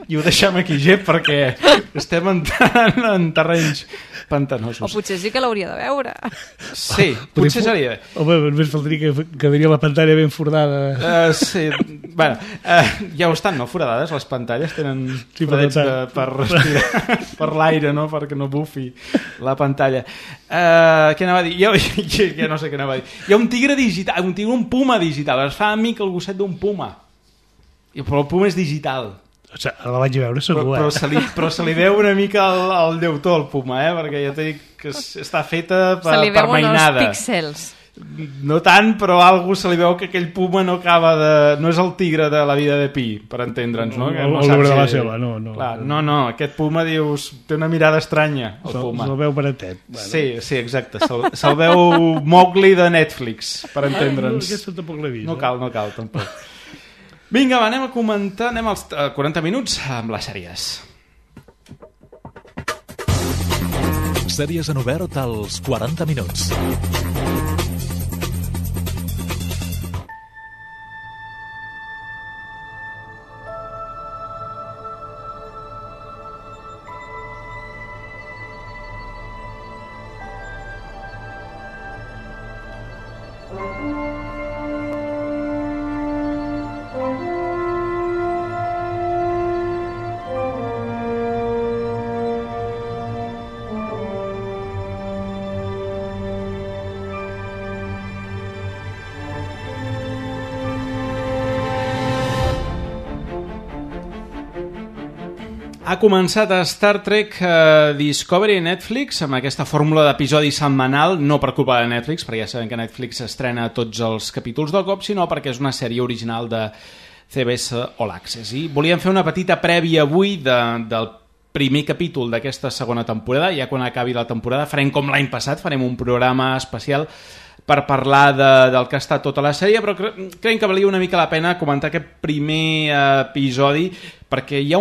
Speaker 3: I ho deixem aquí, Gep, perquè estem entrant en terrenys pantanosos.
Speaker 5: O potser sí que l'hauria de veure.
Speaker 3: Sí, potser seria.
Speaker 4: Home, només faltaria que quedaria la pantalla ben foradada.
Speaker 3: Sí, bueno, ja ho estan, no? Foradades, les pantalles tenen foradets per respirar per l'aire, no? Perquè no bufi la pantalla. Què anava a dir? Ja no sé què anava a dir. Hi ha un tigre digital, un puma digital. Es fa amic el gosset d'un puma. Però el puma és digital.
Speaker 4: La vaig veure segur,
Speaker 3: però se li veu una mica el llautó al puma, perquè ja t'he dit que està feta per mainada.
Speaker 5: Se li veuen els píxels.
Speaker 3: No tant, però algú se li veu que aquell puma no acaba de... No és el tigre de la vida de Pi, per entendre'ns, no?
Speaker 4: El llibre de la seva, no.
Speaker 3: Clar, no, aquest puma, dius, té una mirada estranya, el puma.
Speaker 4: Se'l veu baratet.
Speaker 3: Sí, exacte, se'l veu Mowgli de Netflix, per entendre'ns.
Speaker 4: Aquesta tampoc l'he vist.
Speaker 3: No cal, tampoc. Vinga, anem a comentar, anem als 40 minuts amb les sèries.
Speaker 6: Sèries en obert als 40 minuts.
Speaker 3: Ha començat a Star Trek Discovery Netflix amb aquesta fórmula d'episodi setmanal, no per culpa de Netflix, perquè ja sabem que Netflix estrena tots els capítols del cop, sinó perquè és una sèrie original de CBS All Access. I volíem fer una petita prèvia avui del primer capítol d'aquesta segona temporada. Ja quan acabi la temporada farem com l'any passat, farem un programa especial per parlar del que ha estat tota la sèrie, però creiem que valia una mica la pena comentar aquest primer episodi, perquè hi ha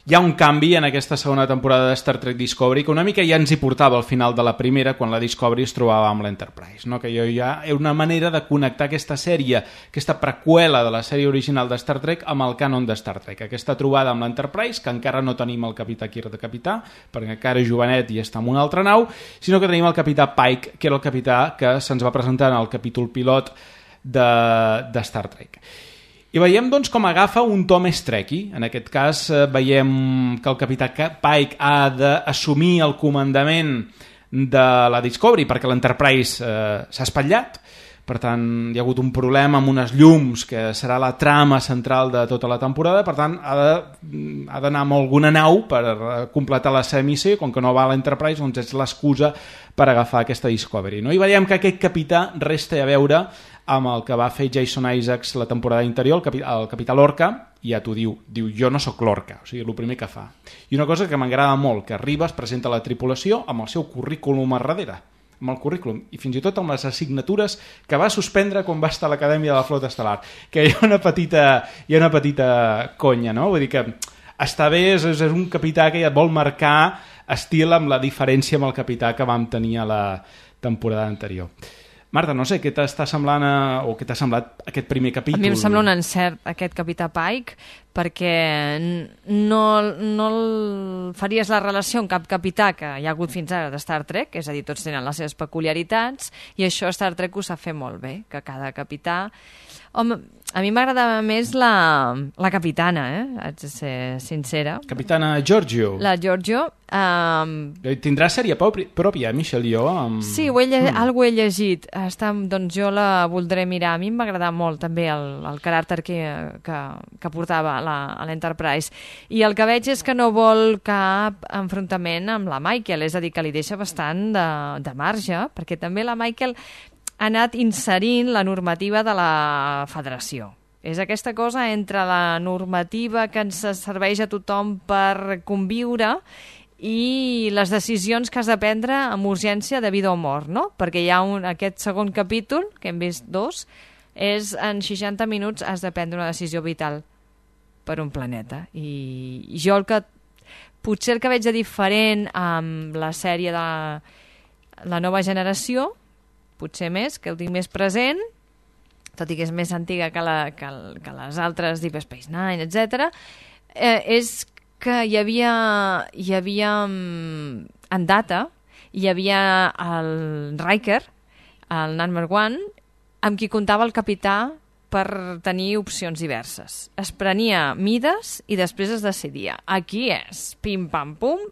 Speaker 3: hi ha un canvi en aquesta segona temporada de Star Trek Discovery que una mica ja ens hi portava al final de la primera quan la Discovery es trobava amb l'Enterprise, no? Que ja era una manera de connectar aquesta sèrie, aquesta preqüela de la sèrie original de Star Trek amb el cànon de Star Trek. Aquesta trobada amb l'Enterprise, que encara no tenim el capità Kirk de capità, perquè encara és jovenet i està en una altra nau, sinó que tenim el capità Pike, que era el capità que se'ns va presentar en el capítol pilot de Star Trek. I veiem doncs, com agafa un to més trekky. En aquest cas veiem que el capità Pike ha d'assumir el comandament de la Discovery perquè l'Enterprise s'ha espatllat. Per tant, hi ha hagut un problema amb unes llums que serà la trama central de tota la temporada. Per tant, ha d'anar amb alguna nau per completar la seva missió. Com que no va a l'Enterprise, doncs és l'excusa per agafar aquesta Discovery, no? I veiem que aquest capità resta a veure amb el que va fer Jason Isaacs la temporada interior, el capità Lorca, i ja t'ho diu, jo no sóc Lorca, o sigui, el primer que fa. I una cosa que m'agrada molt, que arriba, es presenta a la tripulació amb el seu currículum a darrere, amb el currículum, i fins i tot amb les assignatures que va suspendre quan va estar a l'Acadèmia de la Flota Estel·lar, que hi ha una petita conya, no? Vull dir que està bé, és un capità que ja vol marcar estil amb la diferència amb el capità que vam tenir a la temporada anterior. Marta, no sé, què t'està semblant o què t'ha semblat aquest primer capítol?
Speaker 5: A mi em sembla un encert aquest capità Pike, perquè no faries la relació amb cap capità que hi ha hagut fins ara de Star Trek, és a dir, tots tenen les seves peculiaritats, i això Star Trek ho sap fer molt bé, que cada capità... Home, a mi m'agradava més la capitana, haig de ser sincera.
Speaker 3: Capitana Giorgio.
Speaker 5: La Giorgio.
Speaker 3: Tindrà sèrie pròpia, Michelle Yeoh?
Speaker 5: Sí, algo he llegit. Doncs jo la voldré mirar. A mi m'agrada molt també el caràcter que portava a l'Enterprise. I el que veig és que no vol cap enfrontament amb la Michael, és a dir, que li deixa bastant de marge, perquè també la Michael ha anat inserint la normativa de la federació. És aquesta cosa entre la normativa que ens serveix a tothom per conviure i les decisions que has de prendre amb urgència de vida o mort, no? Perquè hi ha aquest segon capítol, que hem vist 2, és en 60 minuts has de prendre una decisió vital per un planeta. I jo potser el que veig de diferent amb la sèrie de la nova generació, potser més, que ho tinc més present, tot i que és més antiga que les altres, Deep Space Nine, etc., és que hi havia en Data, hi havia el Riker, el number 1, amb qui comptava el capità per tenir opcions diverses. Es prenia mides i després es decidia. Aquí és pim-pam-pum,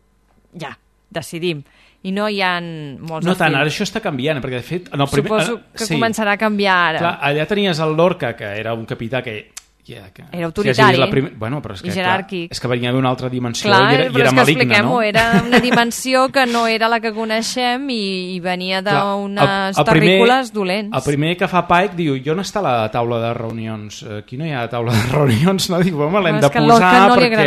Speaker 5: ja, decidim. I no hi ha molts...
Speaker 3: No tant, ara això està canviant, perquè de fet...
Speaker 5: Suposo que començarà a canviar ara.
Speaker 3: Clar, allà tenies el Lorca, que era un capità que...
Speaker 5: Era autoritari
Speaker 3: però és que,
Speaker 5: i jeràrquic.
Speaker 3: Clar, és que venia d'una altra dimensió
Speaker 5: clar,
Speaker 3: i era maligne, no?
Speaker 5: Era una dimensió que no era la que coneixem i venia d'unes terrícoles dolents.
Speaker 3: El primer que fa Pike diu, jo no està a la taula de reunions. Aquí no hi ha taula de reunions, no? Diu, home, l'hem de posar
Speaker 5: no
Speaker 3: perquè...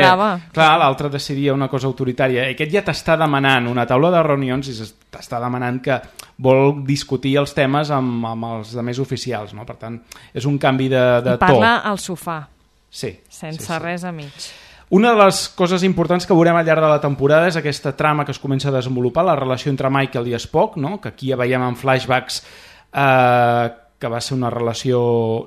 Speaker 3: Clar, l'altre decidia una cosa autoritària. Aquest ja t'està demanant una taula de reunions i t'està demanant que vol discutir els temes amb els més oficials, no? Per tant, és un canvi de to.
Speaker 5: I parla al sofà,
Speaker 3: sense
Speaker 5: res a mig.
Speaker 3: Una de les coses importants que veurem al llarg de la temporada és aquesta trama que es comença a desenvolupar, la relació entre Michael i Spock, no? Que aquí ja veiem en flashbacks que va ser una relació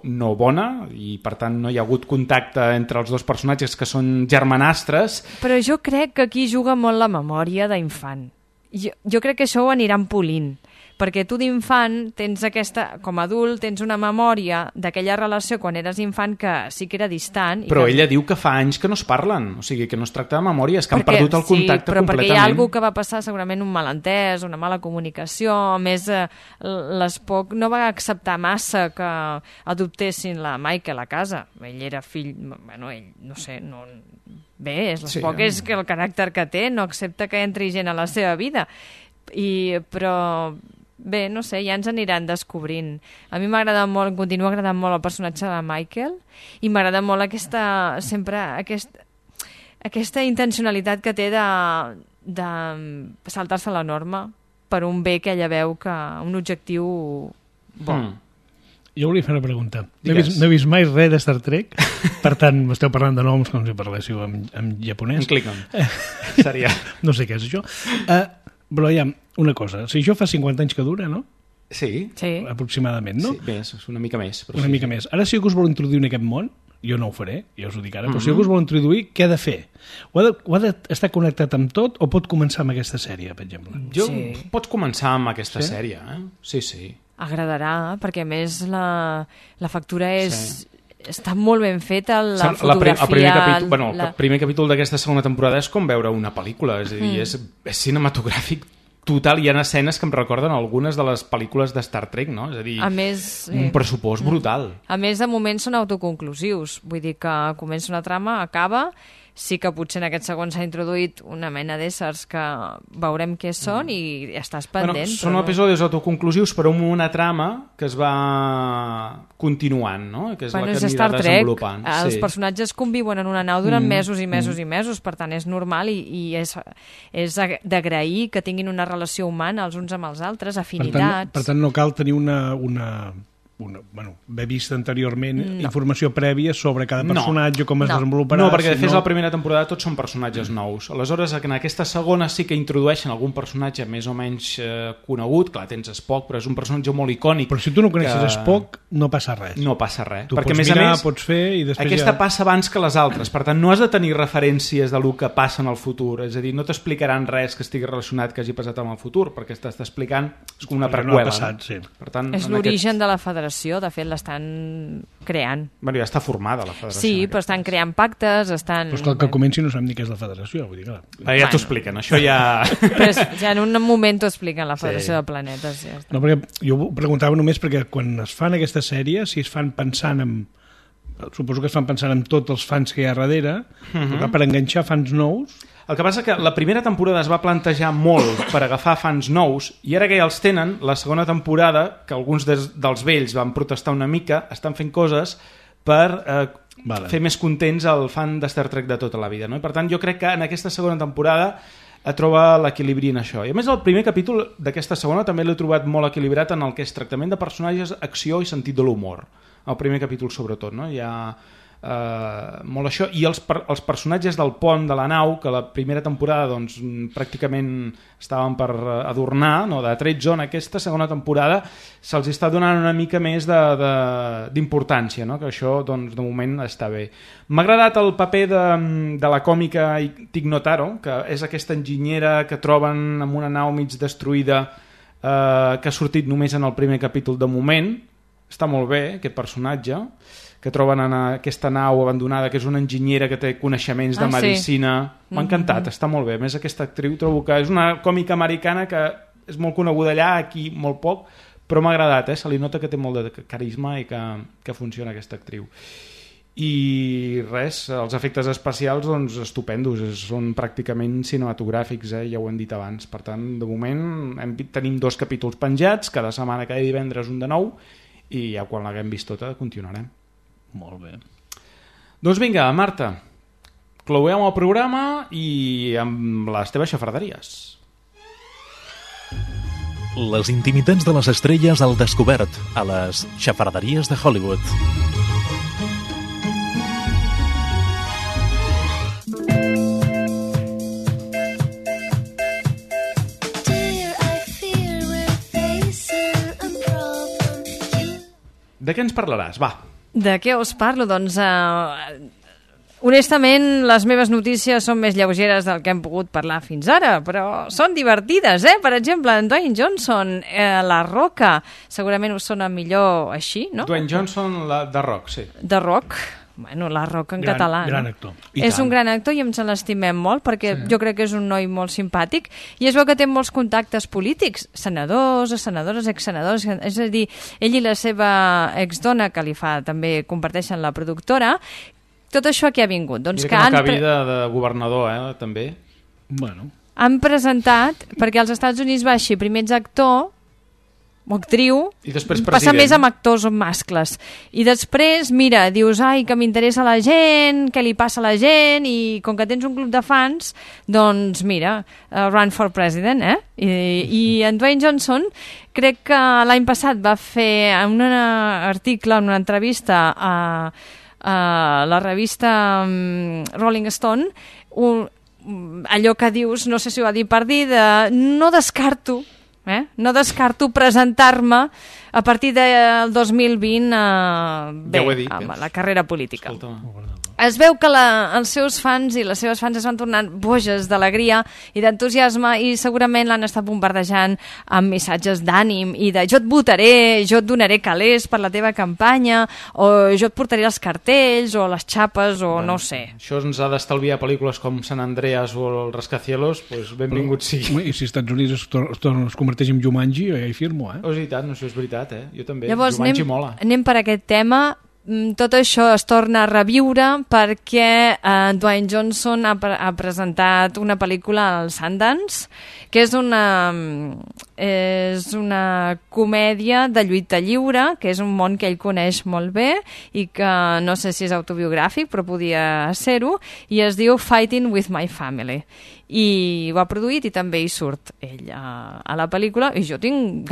Speaker 3: no bona i per tant no hi ha hagut contacte entre els dos personatges que són germanastres.
Speaker 5: Però jo crec que aquí juga molt la memòria d'infant. Jo crec que això ho aniran polint, perquè tu d'infant tens com a adult tens una memòria d'aquella relació quan eres infant que sí que era distant.
Speaker 3: Però ella diu que fa anys que no es parlen, o sigui que no es tracta de memòria, és que han perdut el contacte completament.
Speaker 5: Perquè hi ha alguna que va passar segurament un malentès, una mala comunicació, a més l'Spock no va acceptar massa que adoptessin la Michael a casa, ell era fill, ell no sé, no... Bé, l'Spock és que el caràcter que té, no accepta que entri gent a la seva vida. Però bé, no sé, ja ens aniran descobrint. A mi m'agrada molt, em continua agradant molt el personatge de Michael i m'agrada molt aquesta intencionalitat que té de saltar-se la norma per un bé que ella veu que un objectiu bo.
Speaker 4: Jo volia fer una pregunta. No he vist mai res de Star Trek, per tant, m'esteu parlant de noms com si parléssiu en japonès.
Speaker 3: En Klingon. Seria.
Speaker 4: No sé què és això. Però ja, una cosa, si això fa 50 anys que dura, no?
Speaker 3: Sí.
Speaker 4: Aproximadament, no?
Speaker 3: Sí, més, una mica més.
Speaker 4: Una mica més. Ara, si algú us vol introduir en aquest món, jo no ho faré, ja us ho dic ara, però si algú us vol introduir, què ha de fer? Ho ha d'estar connectat amb tot o pot començar amb aquesta sèrie, per exemple?
Speaker 3: Pots començar amb aquesta sèrie, eh? Sí.
Speaker 5: Agradarà, perquè a més la factura està molt ben feta, la fotografia...
Speaker 3: El primer capítol d'aquesta segona temporada és com veure una pel·lícula, és a dir, és cinematogràfic total, hi ha escenes que em recorden algunes de les pel·lícules de Star Trek, no? És a dir, un pressupost brutal.
Speaker 5: A més, de moment són autoconclusius, vull dir que comença una trama, acaba, sí que potser en aquest segon s'ha introduït una mena d'éssers que veurem què són i estàs pendent.
Speaker 3: Són episodis autoconclusius però amb una trama que es va continuant, no? Que és la que anirà desenvolupant.
Speaker 5: Els personatges conviuen en una nau durant mesos i mesos i mesos, per tant és normal i és d'agrair que tinguin una relació humana els uns amb els altres, afinitats...
Speaker 4: Per tant no cal tenir haver vist anteriorment informació prèvia sobre cada personatge, com es desenvoluparà...
Speaker 3: No, perquè de fet la primera temporada tots són personatges nous. Aleshores, en aquesta segona sí que introdueixen algun personatge més o menys conegut. Clar, tens Spock, però és un personatge molt icònic.
Speaker 4: Però si tu no coneixes Spock, no passa res.
Speaker 3: No passa res.
Speaker 4: Tu pots mirar, pots fer i després
Speaker 3: aquesta passa abans que les altres. Per tant, no has de tenir referències de lo que passa en el futur. És a dir, no t'explicaran res que estigui relacionat que hagi passat en el futur, perquè t'està explicant com una preqüela.
Speaker 4: No ha passat, sí.
Speaker 3: Per tant,
Speaker 5: és l'origen de la Federació, de fet l'estan creant.
Speaker 3: Bueno, ja està formada la Federació.
Speaker 5: Sí, però estan creant pactes, estan...
Speaker 4: Però és que el que comenci no sabem ni què és la Federació, vull dir, clar.
Speaker 3: Ja t'ho expliquen, això ja...
Speaker 5: Però ja en un moment t'ho expliquen, la Federació de Planetes. Ja està.
Speaker 4: No, perquè jo ho preguntava només perquè quan es fan aquesta sèrie, si es fan pensant en... Suposo que es fan pensant en tots els fans que hi ha darrere, però per enganxar fans nous...
Speaker 3: El que passa que la primera temporada es va plantejar molt per agafar fans nous i ara que ja els tenen, la segona temporada, que alguns dels vells van protestar una mica, estan fent coses per fer més contents el fan de Star Trek de tota la vida. No? I per tant, jo crec que en aquesta segona temporada troba l'equilibri en això. I a més, el primer capítol d'aquesta segona també l'he trobat molt equilibrat en el que és tractament de personatges, acció i sentit de l'humor. El primer capítol, sobretot, no? Hi ha... molt això, i els personatges del pont de la nau, que la primera temporada doncs, pràcticament estaven per adornar, no? De tretzo, en aquesta segona temporada se'ls està donant una mica més d'importància, no? Que això doncs, de moment està bé. M'ha agradat el paper de la còmica Tig Notaro, que és aquesta enginyera que troben en una nau mig destruïda, que ha sortit només en el primer capítol de moment. Està molt bé aquest personatge, que troben en aquesta nau abandonada, que és una enginyera que té coneixements de medicina. Sí. M'ha encantat, està molt bé. A més, aquesta actriu trobo que és una còmica americana que és molt coneguda allà, aquí molt poc, però m'ha agradat, se li nota que té molt de carisma i que funciona aquesta actriu. I res, els efectes especials doncs, estupendos, són pràcticament cinematogràfics, ja ho hem dit abans. Per tant, de moment tenim 2 capítols penjats, cada setmana, cada divendres un de nou, i ja quan l'haguem vist tota continuarem.
Speaker 4: Molt bé.
Speaker 3: Doncs vinga, Marta, clouem el programa i amb les teves xafarderies.
Speaker 6: Les intimitats de les estrelles al descobert a les xafarderies de Hollywood.
Speaker 3: De què ens parlaràs? Va.
Speaker 5: De què us parlo? Doncs, honestament, les meves notícies són més lleugeres del que hem pogut parlar fins ara, però són divertides, Per exemple, en Dwayne Johnson, La Roca, segurament us sona millor així, no?
Speaker 3: Dwayne Johnson, de Rock, sí.
Speaker 5: De Rock. Bueno, La Roca en català.
Speaker 4: Gran actor.
Speaker 5: És un gran actor i ens l'estimem molt perquè jo crec que és un noi molt simpàtic i es veu que té molts contactes polítics, senadors, senadores, exsenadors, és a dir, ell i la seva exdona que li fa, també comparteixen la productora. Tot això aquí ha vingut. Doncs
Speaker 3: mira que no acabi de governador, també.
Speaker 4: Bueno.
Speaker 5: Han presentat, perquè als Estats Units va així, primer ets actor, o actriu,
Speaker 3: I després
Speaker 5: passa
Speaker 3: president.
Speaker 5: més amb actors o mascles. I després, mira, dius, ai, que m'interessa la gent, què li passa a la gent, i com que tens un club de fans, doncs mira, run for president, I en Dwayne Johnson crec que l'any passat va fer un article, una entrevista a la revista Rolling Stone, allò que dius, no sé si ho va dir per dir, no descarto presentar-me a partir del 2020 amb la carrera política. Es veu que els seus fans i les seves fans es van tornar boges d'alegria i d'entusiasme i segurament l'han estat bombardejant amb missatges d'ànim i de jo et votaré, jo et donaré calés per la teva campanya, o jo et portaré els cartells o les xapes o no sé.
Speaker 3: Això ens ha d'estalviar pel·lícules com San Andreas o el Rascacielos, doncs benvingut sigui.
Speaker 4: I si als Estats Units es converteix en Jumanji, ja hi firmo,
Speaker 3: Oh, és veritat, no, això és veritat, Jo també.
Speaker 5: Llavors
Speaker 3: Jumanji mola.
Speaker 5: anem per aquest tema. Tot això es torna a reviure perquè Dwayne Johnson ha presentat una pel·lícula al Sundance, que és una comèdia de lluita lliure, que és un món que ell coneix molt bé i que no sé si és autobiogràfic, però podia ser-ho, i es diu Fighting with My Family. I ho ha produït i també hi surt ell a la pel·lícula, i jo tinc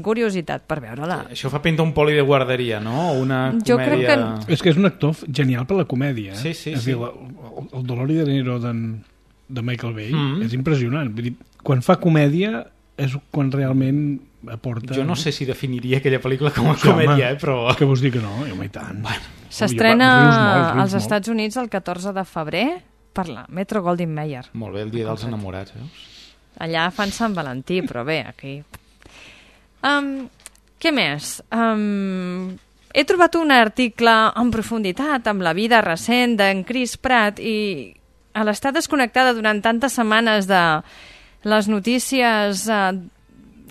Speaker 5: curiositat per veure-la.
Speaker 3: Això fa pinta un poli de guarderia, no? Una comèdia...
Speaker 4: És que és un actor genial per la comèdia.
Speaker 3: Sí.
Speaker 4: Dir, el Dolor i Dinero de Michael Bay és impressionant. Vull dir, quan fa comèdia és quan realment aporta...
Speaker 3: Jo no sé si definiria aquella pel·lícula com a comèdia, però...
Speaker 4: Què vols dir que no? I tant.
Speaker 5: S'estrena als Estats Units el 14 de febrer per la Metro Goldwyn Mayer.
Speaker 3: Molt bé, el dia dels enamorats, veus?
Speaker 5: Allà fan Sant Valentí, però bé, aquí... Què més? He trobat un article en profunditat amb la vida recent d'en Chris Pratt i a l'estar desconnectada durant tantes setmanes de les notícies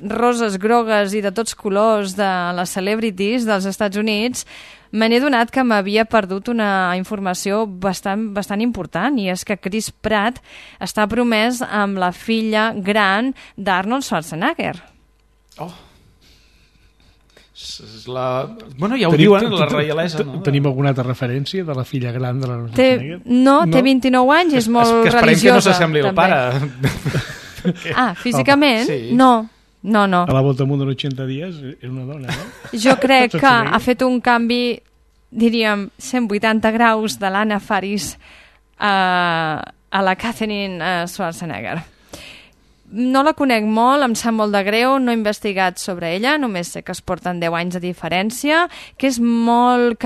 Speaker 5: roses, grogues i de tots colors de les celebrities dels Estats Units, me n'he donat que m'havia perdut una informació bastant important, i és que Chris Pratt està promès amb la filla gran d'Arnold Schwarzenegger.
Speaker 3: Oh! Bueno, ja ho diuen, la reialesa, no?
Speaker 4: Tenim alguna altra referència de la filla gran de l'Arnold Schwarzenegger?
Speaker 5: No, té 29 anys i és molt religiosa.
Speaker 3: Que esperem que no s'assembli al pare.
Speaker 5: Físicament? No.
Speaker 4: A la volta al món en 80 dies és una dona, no?
Speaker 5: Jo crec que ha fet un canvi, diríem, 180 graus de l'Anna Faris a la Catherine Schwarzenegger. No la conec molt, em sap molt de greu, no he investigat sobre ella, només sé que es porten 10 anys de diferència, que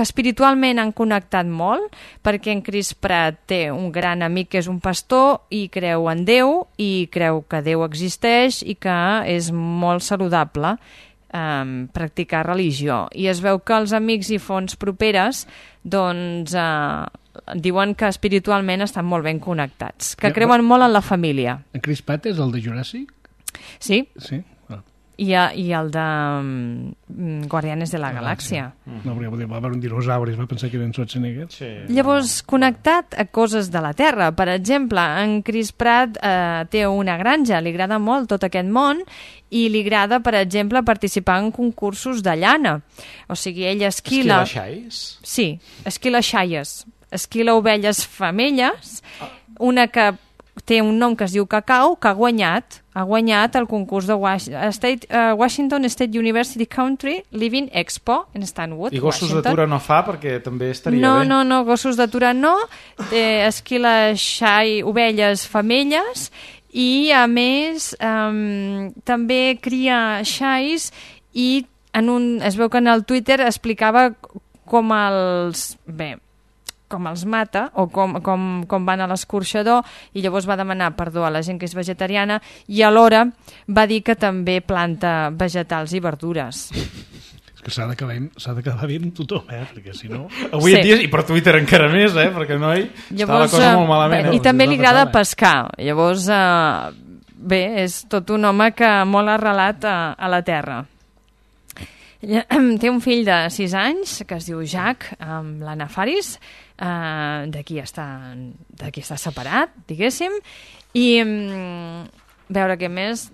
Speaker 5: espiritualment han connectat molt, perquè en Chris Pratt té un gran amic que és un pastor i creu en Déu, i creu que Déu existeix i que és molt saludable practicar religió. I es veu que els amics i fonts properes doncs diuen que espiritualment estan molt ben connectats, que creuen molt en la família.
Speaker 4: En Chris Pratt és el de Jurassic?
Speaker 5: Sí.
Speaker 4: Sí?
Speaker 5: I el de Guardianes de la Galàxia.
Speaker 4: No, perquè va haver un dinosaure, es va pensar que era en Schwarzenegger.
Speaker 5: Sí. Llavors, connectat a coses de la Terra. Per exemple, en Chris Pratt té una granja, li agrada molt tot aquest món, i li agrada, per exemple, participar en concursos de llana. O sigui, ell esquila...
Speaker 3: Esquila xais?
Speaker 5: Sí, esquila xaies. Esquila ovelles femelles, una que té un nom que es diu Cacau, que ha guanyat el concurs de Washington State University Country Living Expo en Stanwood,
Speaker 3: I gossos
Speaker 5: Washington.
Speaker 3: d'atura no fa, perquè també estaria bé.
Speaker 5: No, gossos d'atura no, esquila xai, ovelles femelles, i a més també cria xais, i es veu que en el Twitter explicava com els mata o com van a l'escorxador, i llavors va demanar perdó a la gent que és vegetariana, i alhora va dir que també planta vegetals i verdures.
Speaker 4: És que s'ha de quedar bé amb tothom, perquè si no...
Speaker 3: Avui en dia, i per Twitter encara més, perquè noi, està la cosa molt malament.
Speaker 5: I també li agrada pescar, llavors és tot un home que molt arrelat a la terra. Té un fill de 6 anys que es diu Jack, amb l'Anna Faris, d'aquí està separat, diguéssim, i veure què més...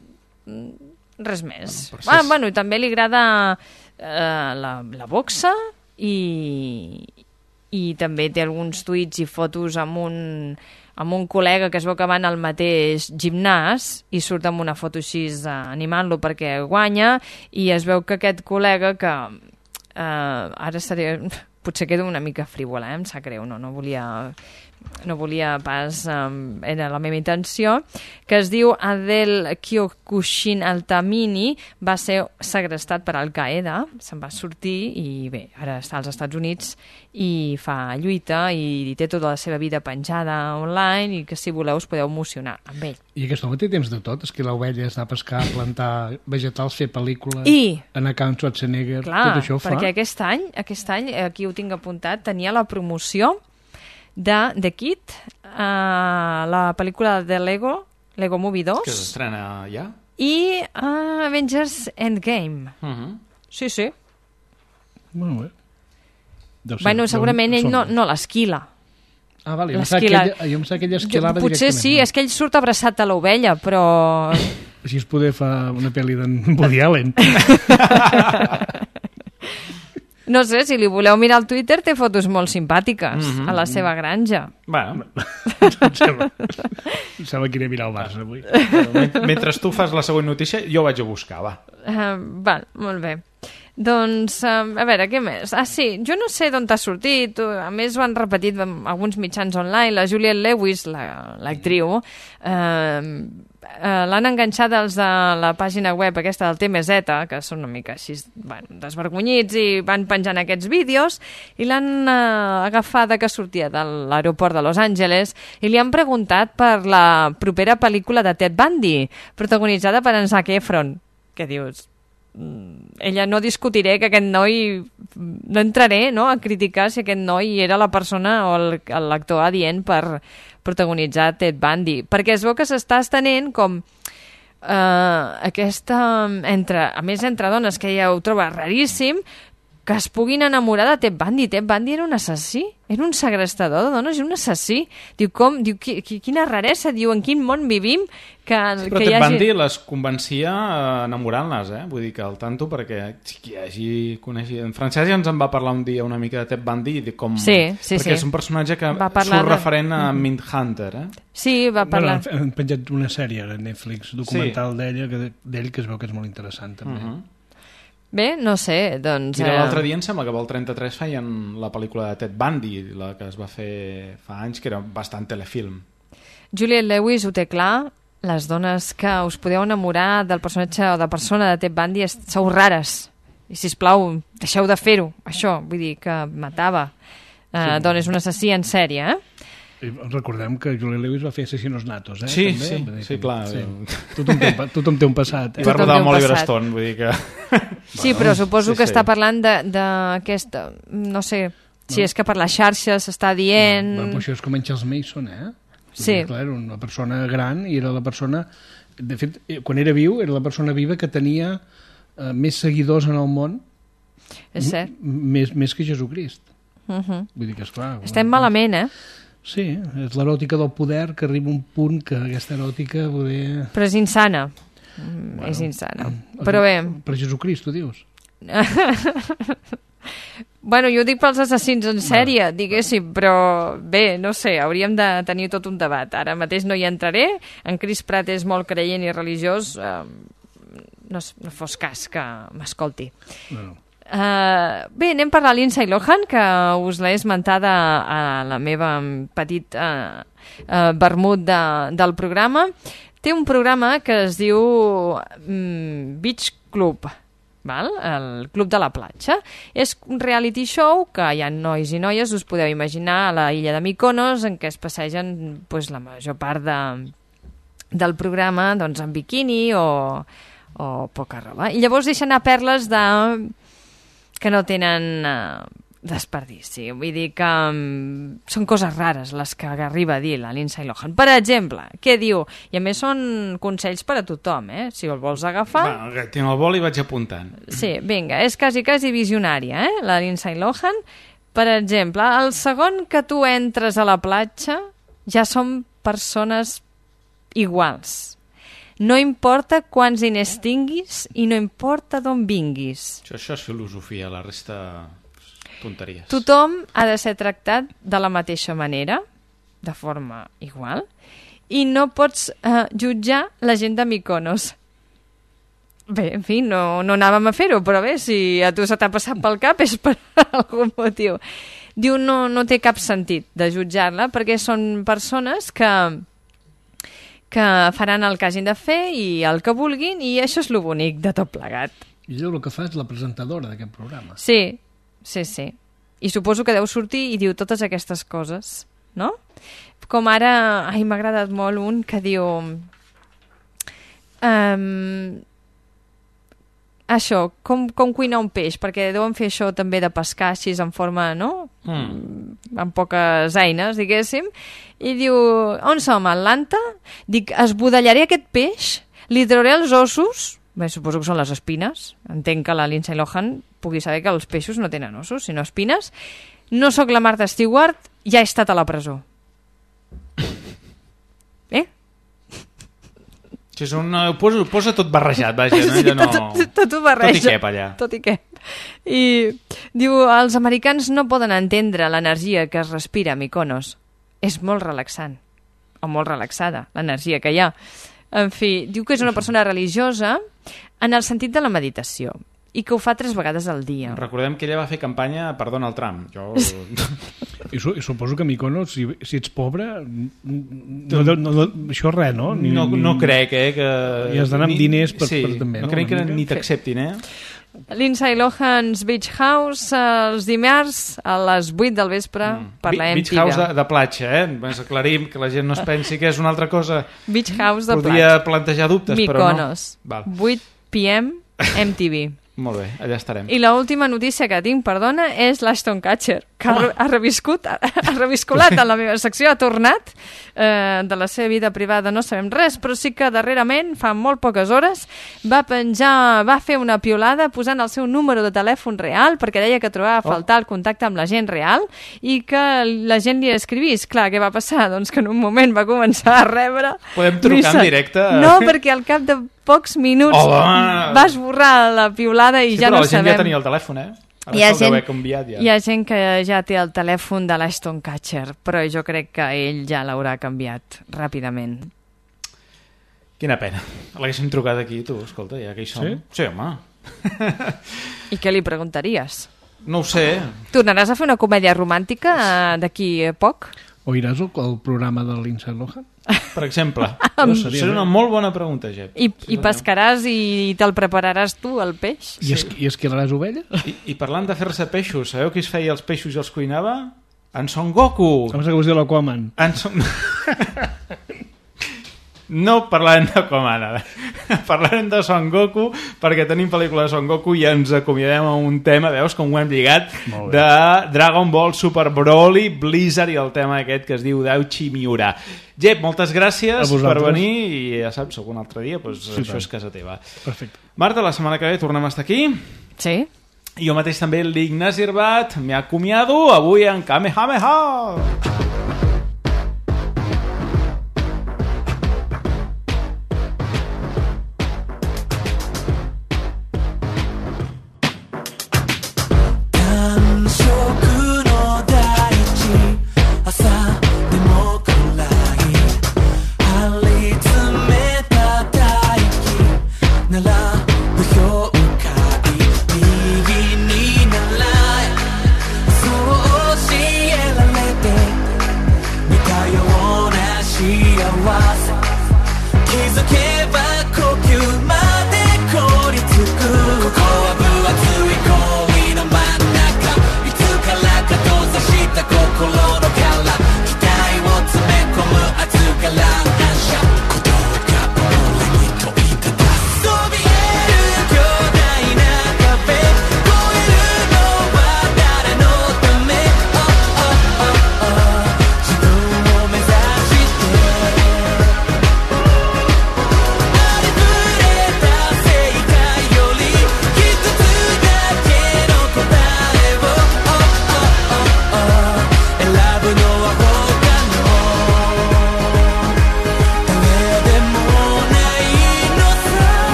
Speaker 5: Res més.
Speaker 3: Bueno,
Speaker 5: I també li agrada la boxa i també té alguns tuits i fotos amb un col·lega que es veu que van al mateix gimnàs i surt amb una foto així animant-lo perquè guanya, i es veu que aquest col·lega que ara potser quedo una mica frívola, em sap greu, no volia pas, era la meva intenció, que es diu Adel Kyokushin Altamini, va ser segrestat per Al-Qaeda, se'n va sortir i bé, ara està als Estats Units i fa lluita i té tota la seva vida penjada online i que si voleu us podeu emocionar amb ell.
Speaker 4: I aquest home té temps de tot, esquilar ovelles, anar a pescar, plantar vegetals, fer pel·lícules, anar a Camp Schwarzenegger, tot això ho fa.
Speaker 5: Perquè aquest any, aquí ho tinc apuntat, tenia la promoció de The Kid, la pel·lícula de Lego Movie 2.
Speaker 3: Que s'estrena ja.
Speaker 5: I Avengers Endgame. Sí.
Speaker 4: Molt bé.
Speaker 5: Bueno, segurament ell no l'esquila.
Speaker 4: Ah, vale, jo em sap que ell esquilava directament.
Speaker 5: Potser sí, és que ell surt abraçat a l'ovella, però...
Speaker 4: Així es poder fa una pel·li d'en Woody Allen.
Speaker 5: No sé, si li voleu mirar al Twitter, té fotos molt simpàtiques a la seva granja.
Speaker 3: Bueno.
Speaker 4: Em sembla que iré a mirar el Barça avui.
Speaker 3: Mentre tu fas la següent notícia, jo vaig a buscar, va.
Speaker 5: Val, molt bé. Doncs, a veure, què més? Ah, sí, jo no sé d'on t'ha sortit, a més ho han repetit en alguns mitjans online, la Juliette Lewis, l'actriu, l'han enganxat els de la pàgina web aquesta del TMZ, que són una mica així, desvergonyits, i van penjant aquests vídeos, i l'han agafada que sortia de l'aeroport de Los Angeles, i li han preguntat per la propera pel·lícula de Ted Bundy, protagonitzada per en Zac Efron. Què dius? Ella no discutiré que aquest noi, no entraré a criticar si aquest noi era la persona o l'actor adient per protagonitzar Ted Bundy, perquè es veu que s'està estenent com aquesta, a més entre dones, que ja ho troba raríssim, que es puguin enamorar de Ted Bundy. Ted Bundy era un assassí, era un segrestador de dones i un assassí. Diu, quina raresa, diu, en quin món vivim
Speaker 3: però Ted Bundy les convencia enamorant-les, Vull dir que al tanto, perquè qui hagi coneixit... En Francesc ja ens en va parlar un dia una mica de Ted Bundy, i com... perquè és un personatge que surt referent a Mindhunter,
Speaker 5: Sí, va parlar...
Speaker 4: Han penjat una sèrie a Netflix, documental d'ell, que es veu que és molt interessant, també.
Speaker 5: Bé, no sé, doncs...
Speaker 3: Mira, l'altre dia em sembla que al 33 feien la pel·lícula de Ted Bundy, la que es va fer fa anys, que era bastant telefilm.
Speaker 5: Juliette Lewis ho té clar, les dones que us podeu enamorar del personatge o de persona de Ted Bundy sou rares. I, sisplau, deixeu de fer-ho, això, vull dir que matava dones, un assassí en sèrie,
Speaker 4: Recordem que Juliette Lewis va fer Assassinos Natos,
Speaker 3: Sí,
Speaker 4: també.
Speaker 3: Sí, clar.
Speaker 4: Tothom té un passat.
Speaker 3: I va rodar amb Oliver Stone, vull dir que...
Speaker 5: Sí, però suposo que està parlant d'aquesta... No sé, si és que per les xarxes s'està dient...
Speaker 4: Però això és com en Charles Mason,
Speaker 5: Sí.
Speaker 4: Clar, era una persona gran i era la persona... De fet, quan era viu, era la persona viva que tenia més seguidors en el món.
Speaker 5: És cert.
Speaker 4: Més que Jesucrist. Vull dir que, esclar...
Speaker 5: Estem malament,
Speaker 4: Sí, és l'eròtica del poder, que arriba un punt que aquesta eròtica poder...
Speaker 5: Però és insana. És insana. Però bé...
Speaker 4: Per Jesucrist, tu dius?
Speaker 5: Bueno, jo ho dic pels assassins en sèrie, diguéssim, però bé, no sé, hauríem de tenir tot un debat. Ara mateix no hi entraré. En Chris Pratt és molt creient i religiós. No fos cas que m'escolti. Bé, anem per la Lindsay Lohan, que us l'he esmentada a la meva petit vermut del programa. Té un programa que es diu Beach Club, el Club de la Platja. És un reality show que hi ha nois i noies, us podeu imaginar, a la illa de Mykonos, en què es passegen la major part del programa en biquini o poca roba. I llavors deixen anar perles que no tenen desperdici. Vull dir que són coses rares les que arriba a dir la Lindsay Lohan. Per exemple, què diu? I a més són consells per a tothom, si el vols agafar...
Speaker 3: Tinc el bol i vaig apuntant.
Speaker 5: Sí, vinga, és quasi visionària, la Lindsay Lohan. Per exemple, el segon que tu entres a la platja ja són persones iguals. No importa quants diners tinguis i no importa d'on vinguis.
Speaker 3: Això és filosofia, la resta tonteries.
Speaker 5: Tothom ha de ser tractat de la mateixa manera, de forma igual, i no pots jutjar la gent de Mykonos. Bé, en fi, no anàvem a fer-ho, però bé, si a tu se t'ha passat pel cap és per algun motiu. Diu, no té cap sentit de jutjar-la, perquè són persones que faran el que hagin de fer i el que vulguin, i això és lo bonic de tot plegat.
Speaker 4: I ell el que fa és la presentadora d'aquest programa.
Speaker 5: Sí. I suposo que deu sortir i diu totes aquestes coses, no? Com ara, m'ha agradat molt un que diu... això, com cuinar un peix, perquè deuen fer això també de pescar així en forma, no? Amb poques eines, diguéssim. I diu, on som, a Atlanta? Dic, esbudellaré aquest peix, li trauré els ossos, bé, suposo que són les espines, entenc que la Lindsay Lohan pugui saber que els peixos no tenen ossos, sinó espines. No sóc la Martha Stewart, ja he estat a la presó.
Speaker 3: Posa tot barrejat, vaja. No?
Speaker 5: Tot ho barreja.
Speaker 3: Tot i què, allà.
Speaker 5: Tot i què. I diu, els americans no poden entendre l'energia que es respira a Mykonos. És molt relaxant, o molt relaxada, l'energia que hi ha. En fi, diu que és una persona religiosa en el sentit de la meditació i que ho fa 3 vegades al dia.
Speaker 3: Recordem que ella va fer campanya per Donald Trump.
Speaker 4: I suposo que Mykonos, si ets pobre, això res, no?
Speaker 3: No crec, que...
Speaker 4: I has d'anar amb diners per també,
Speaker 3: no? No crec que ni t'acceptin,
Speaker 5: Lindsay Lohan's Beach House els dimarts a les 8 del vespre per la MTV.
Speaker 3: Beach House de platja, Ens aclarim que la gent no es pensi que és una altra cosa.
Speaker 5: Beach House de platja.
Speaker 3: Podria plantejar dubtes,
Speaker 5: Mykonos.
Speaker 3: Però no.
Speaker 5: 8 p.m. MTV.
Speaker 3: Molt bé, allà estarem.
Speaker 5: I l'última notícia que tinc, perdona, és l'Ashton Kutcher, que ha reviscolat en la meva secció, ha tornat de la seva vida privada, no sabem res, però sí que darrerament, fa molt poques hores, va fer una piolada posant el seu número de telèfon real, perquè deia que trobava a faltar el contacte amb la gent real i que la gent li escrivís. Clar, què va passar? Doncs que en un moment va començar a rebre...
Speaker 3: Podem trucar en directe?
Speaker 5: No, perquè al cap de pocs minuts va esborrar la piolada i ja no sabem...
Speaker 3: Però la gent ja tenia el telèfon, Hi
Speaker 5: ha gent que ja té el telèfon de l'Ashton Kutcher, però jo crec que ell ja l'haurà canviat ràpidament.
Speaker 3: Quina pena. L'haguéssim trucat aquí, tu, escolta, ja que hi som. Sí, home.
Speaker 5: I què li preguntaries?
Speaker 3: No ho sé.
Speaker 5: Tornaràs a fer una comèdia romàntica d'aquí a poc?
Speaker 4: O iràs al programa de Lindsay Lohan?
Speaker 3: Per exemple. Seria una molt bona pregunta, Jep.
Speaker 5: I pescaràs i te'l prepararàs tu, el peix?
Speaker 4: I esquilaràs ovelles?
Speaker 3: I parlant de fer-se peixos, sabeu qui es feia els peixos i els cuinava? En Son Goku!
Speaker 4: Com que us diu l'Aquaman?
Speaker 3: No parlarem d'Aquaman ara. Parlarem de Son Goku, perquè tenim pel·lícula de Son Goku i ens acomiadem a un tema, veus com ho hem lligat, de Dragon Ball Super Broly, Blizzard i el tema aquest que es diu Dauchi Miura. Jep, moltes gràcies per venir i ja saps, algun altre dia això és casa teva.
Speaker 4: Perfecte.
Speaker 3: Marta, la setmana que ve tornem a estar aquí.
Speaker 5: Sí.
Speaker 3: Jo mateix també l'Ignasi Herbat, m'he acomiado avui en Kamehameha!
Speaker 16: She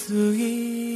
Speaker 16: 過ぎ